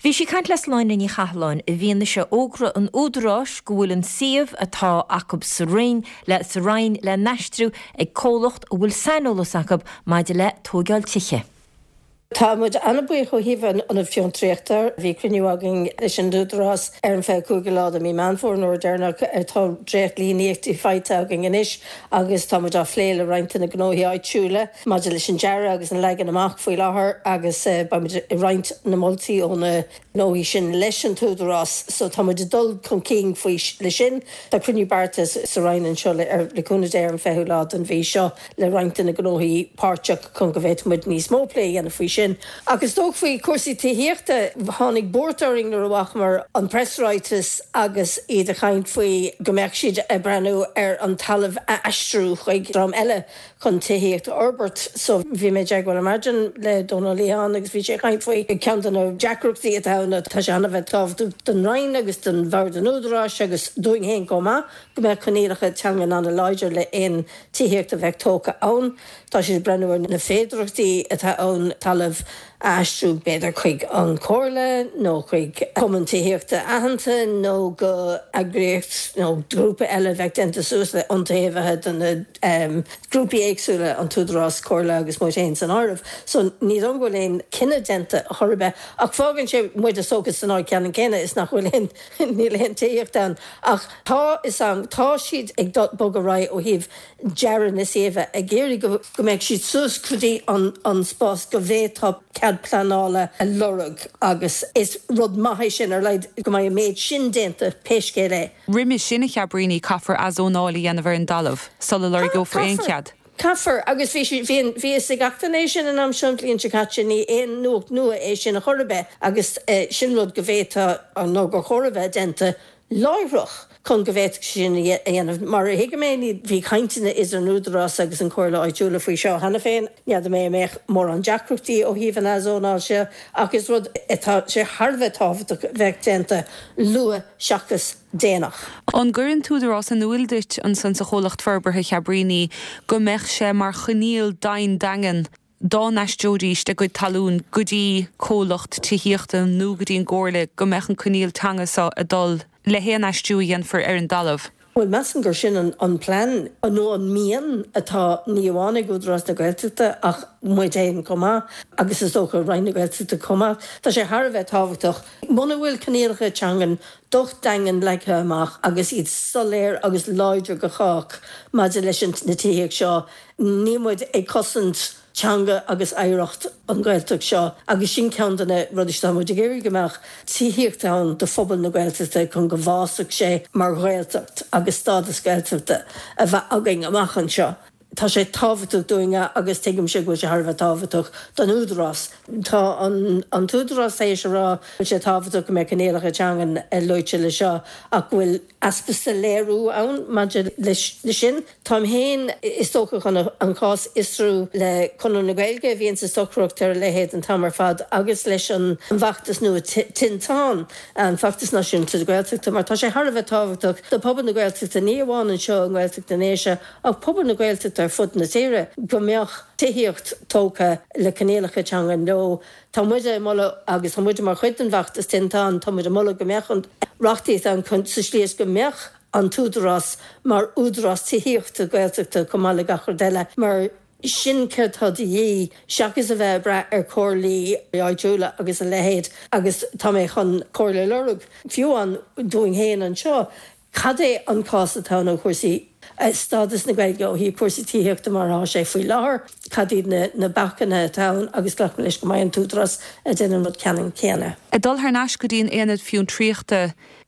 Bhí sí ag caint le Sláine Ní Chathalláin i bhfianaise fhógra an Údaráis go bhfuil an suíomh atá acu sa Rinn le sa Rinn le n-aistriú ag comhlacht a bhfuil saineolas acu maidir le tóigeáil tithe. Tá muid an-bhuíoch ó thaobh an Ionad Fiontraíochta. Bhí cruinniú againn leis an Údarás ar an 25ú lá de mí Meán Fómhair, an uair deireanach. Tá dréacht-líníochtaí faighte againn anois agus tá muid á phlé le roinnt de na gnóthaí áitiúla maidir leis an dearadh agus an leagan amach faoi láthair agus beidh muid ag roinnt na moltaí ó na gnóthaí sin leis an tÚdarás. So tá muid ag dul chun cinn faoi le sin. Tá cruinniú beartais sa Roinn anseo le cúnamh Dé ar an 20ú lá den mhí seo. le roinnt de na gnóthaí páirteach chun go bhféadfadh muid níos mó plé a dhéanamh faoi sin. Ach is dócha faoi chúrsaí tithíochta, tháinig buairt orainn nuair a bhfacamar an preasráiteas agus iad ag caint faoi go mbeadh siad ag breathnú ar an talamh a aistriú chuig dream eile chun tithíocht a fhorbairt. So bhí mé i dteagmháil ar maidin le Dónal Ó Liatháin agus bhí sé ag caint faoi ceann de na deacrachtaí atá ann, tá sé an-bheith tábhachtach don Roinn agus don Bhord an Údaráis agus dúinn féin chomh maith go mbeadh coinníollacha teangan an-láidir le aon tithíocht a bheadh tógtha ann. Tá siad ag breathnú ar na féidearthachtaí atá ann talamh a aistriú b'fhéidir chuig an Chomhairle nó chuig cumann tithíochta aitheanta nó go eagraíocht nó grúpa eile a bheadh déanta suas le iontaobhaithe de na grúpaí éagsúla, an tÚdarás, Comhairle agus muid féin san áireamh. So ní dóigh liom go bhfuil aon cinneadh déanta chor ar bith ach fágann sé muid is dócha san áit ceannann céanna is nach bhfuil aon Níl aon tithíocht ann ach tá fhios a'm, tá siad ag dul bogadh ar aghaidh ó thaobh dearadh na suíomha, ag iarraidh go go mbeadh siad suas go dtí an an spás go bhféadfá cead pleanála a lorg agus is rud maith é sin ar a laghad go mbeidh an méid sin déanta pé scéal é. Roimhe sin, a Chabríní, caithfear athzónáil a dhéanamh ar an dtalamh sula lorgeofar aon Caithfear. chead. Caithfear, agus bhí sé, bhí an, bhí fhios ag gach duine é sin an am seo an bhliain seo caite, ní aon nuacht nua é sin a chor ar bith agus sin rud go bhféadfadh nó gur chóir a bheith déanta láithreach chun go bhféadfadh sé sin a dhéanamh. Mar a thuigim é, ní, bhí cainteanna idir an Údarás agus an Chomhairle Áitiúla faoi seo cheana féin. N'fheadar mé an mbeadh mórán deacrachtaí ó thaobh an athzónáil seo ach is rud atá sé thar a bheith tábhachtach a bheadh déanta luath seachas déanach. An gcuireann an tÚdarás in iúil duit ansan sa chomhlacht forbartha Chabríní go mbeadh sé mar choinníoll dian daingean dá n-aistreoidíst a gcuid talún go dtí comhlacht tithíochta nó go dtí an gComhairle go mbeadh an coinníoll teanga so ag dul le haon aistriú a dhéanfar ar an dtalamh? Bhuel, measaim gur sin an plean, nó an mian atá ní amháin ag Údarás na Gaeltachta ach muid féin chomh maith agus is dócha Roinn na Gaeltachta chomh maith. Tá sé thar a bheith tábhachtach. Muna bhfuil coinníollacha teangan docht daingean leagtha amach agus iad soiléir agus láidir go chách maidir leis an na tithíocht seo, níl muid ag cosaint teanga agus oidhreacht an Ghaeltacht seo agus sin ceann de na rudaí atá muid ag iarraidh, go mbeadh tithíocht ann do phobal na Gaeltachta chun go bhfásfadh sé mar Ghaeltacht agus stádas Gaeltachta a bheith againn amach anseo. Tá sé tábhachtach dúinne agus tuigimse go bhfuil sé thar a bheith tábhachtach don Údarás. Tá an tÚdarás tar éis a rá go bhfuil sé tábhachtach go mbeadh coinníollacha teangan luaite le seo ach go bhfuil easpa soiléiriú ann maidir leis sin. Táim féin, is dócha, chun an cás a fhiosrú le Conradh na Gaeilge, a bhíonns ag stocaireacht ar a leithéid an t-am ar fad, agus leis an bhfeachtas nua Tinteán, an Feachtas Náisiúnta Gaeltachta, mar tá sé thar a bheith tábhachtach do phobal na Gaeltachta, ní amháin anseo i nGaeltacht na nDéise, ach pobal na Gaeltachta ar fud na tíre, go mbeadh tithíocht tógtha le coinníollacha teangan leo. Tá muide ag moladh, agus tá muide mar chuid den bhfeachtas Tinteán, tá muid ag moladh go mbeadh an reachtaíocht ann chun, sa slí is go mbeadh an tÚdarás mar údarás tithíochta Gaeltachta chomh maith le gach rud eile, mar sin céard tá de dhíth seachas a bheith ag brath ar chomhairlí áitiúla agus a leithéid agus tá mé chun comhairle a lorg, fiú amháin dúinn féin anseo, Cad é an cás atá ann ó chúrsaí stádas na Gaeilge ó thaobh cúrsaí tithíochta mar atá sé faoi láthair? Cad iad na bacanna atá ann agus glacaim leis go mbeidh an tÚdarás ag déanamh an rud ceannann céanna. Ag dul thar n-ais go dtí an Aonad Fiontraíochta,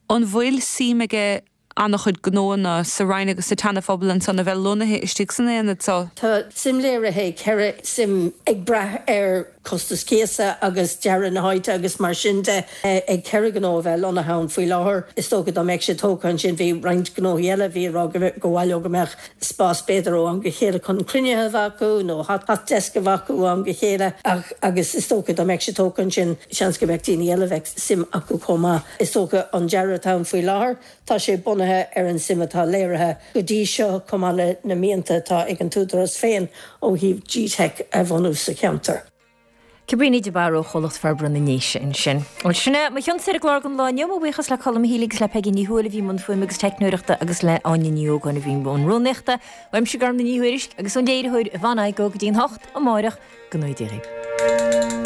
an bhfuil suim aige ana-chuid gnóanna sa Rinn agus sa tSeana-Phobal ansan a bheith lonnaithe istigh san aonad so? Tá suim léirithe ag 4 suim ag brath ar. Costas cíosa agus dearadh na háite agus mar sin de. Ag 4 ghnó a bheith lonnaithe ann faoi láthair, is dócha dá mbeadh sé tógtha ansin, bhí roinnt gnóthaí eile a bhí ag rá go mba mhaith leo go mbeadh spás b'fhéidir ó am go chéile chun cruinnithe a bheith acu nó hot desk a bheith acu ó am go chéile ach agus is dócha dá mbeadh sé tógtha ansin seans go mbeadh daoine eile a bheadh suim acu chomh maith. Is dócha an dearadh atá ann faoi láthair, tá sé bunaithe ar an suim atá léirithe go dtí seo chomh maith le na mianta atá ag an t-údarás féin ó thaobh GTeic a bhunú sa cheantar. Cabríní de Barra ó Chomhlacht Forbartha na nDéise ansin. Bhuel, sin é mo chionn ar an gclár don lá inniu. Mo bhuíochas le Colm Healy agus le Peigí Ní Thuathail a bhí i mbun fuaime agus teicneoireachta agus le Áine Ní Ógáin a bhí i mbun rúnaíochta. Uaimse Gormfhlaith Ní Thuairisg agus ón léiritheoir Yvonne Igoe go dtí an 8 amáireach, go ngnóthaí Dia dhaoibh.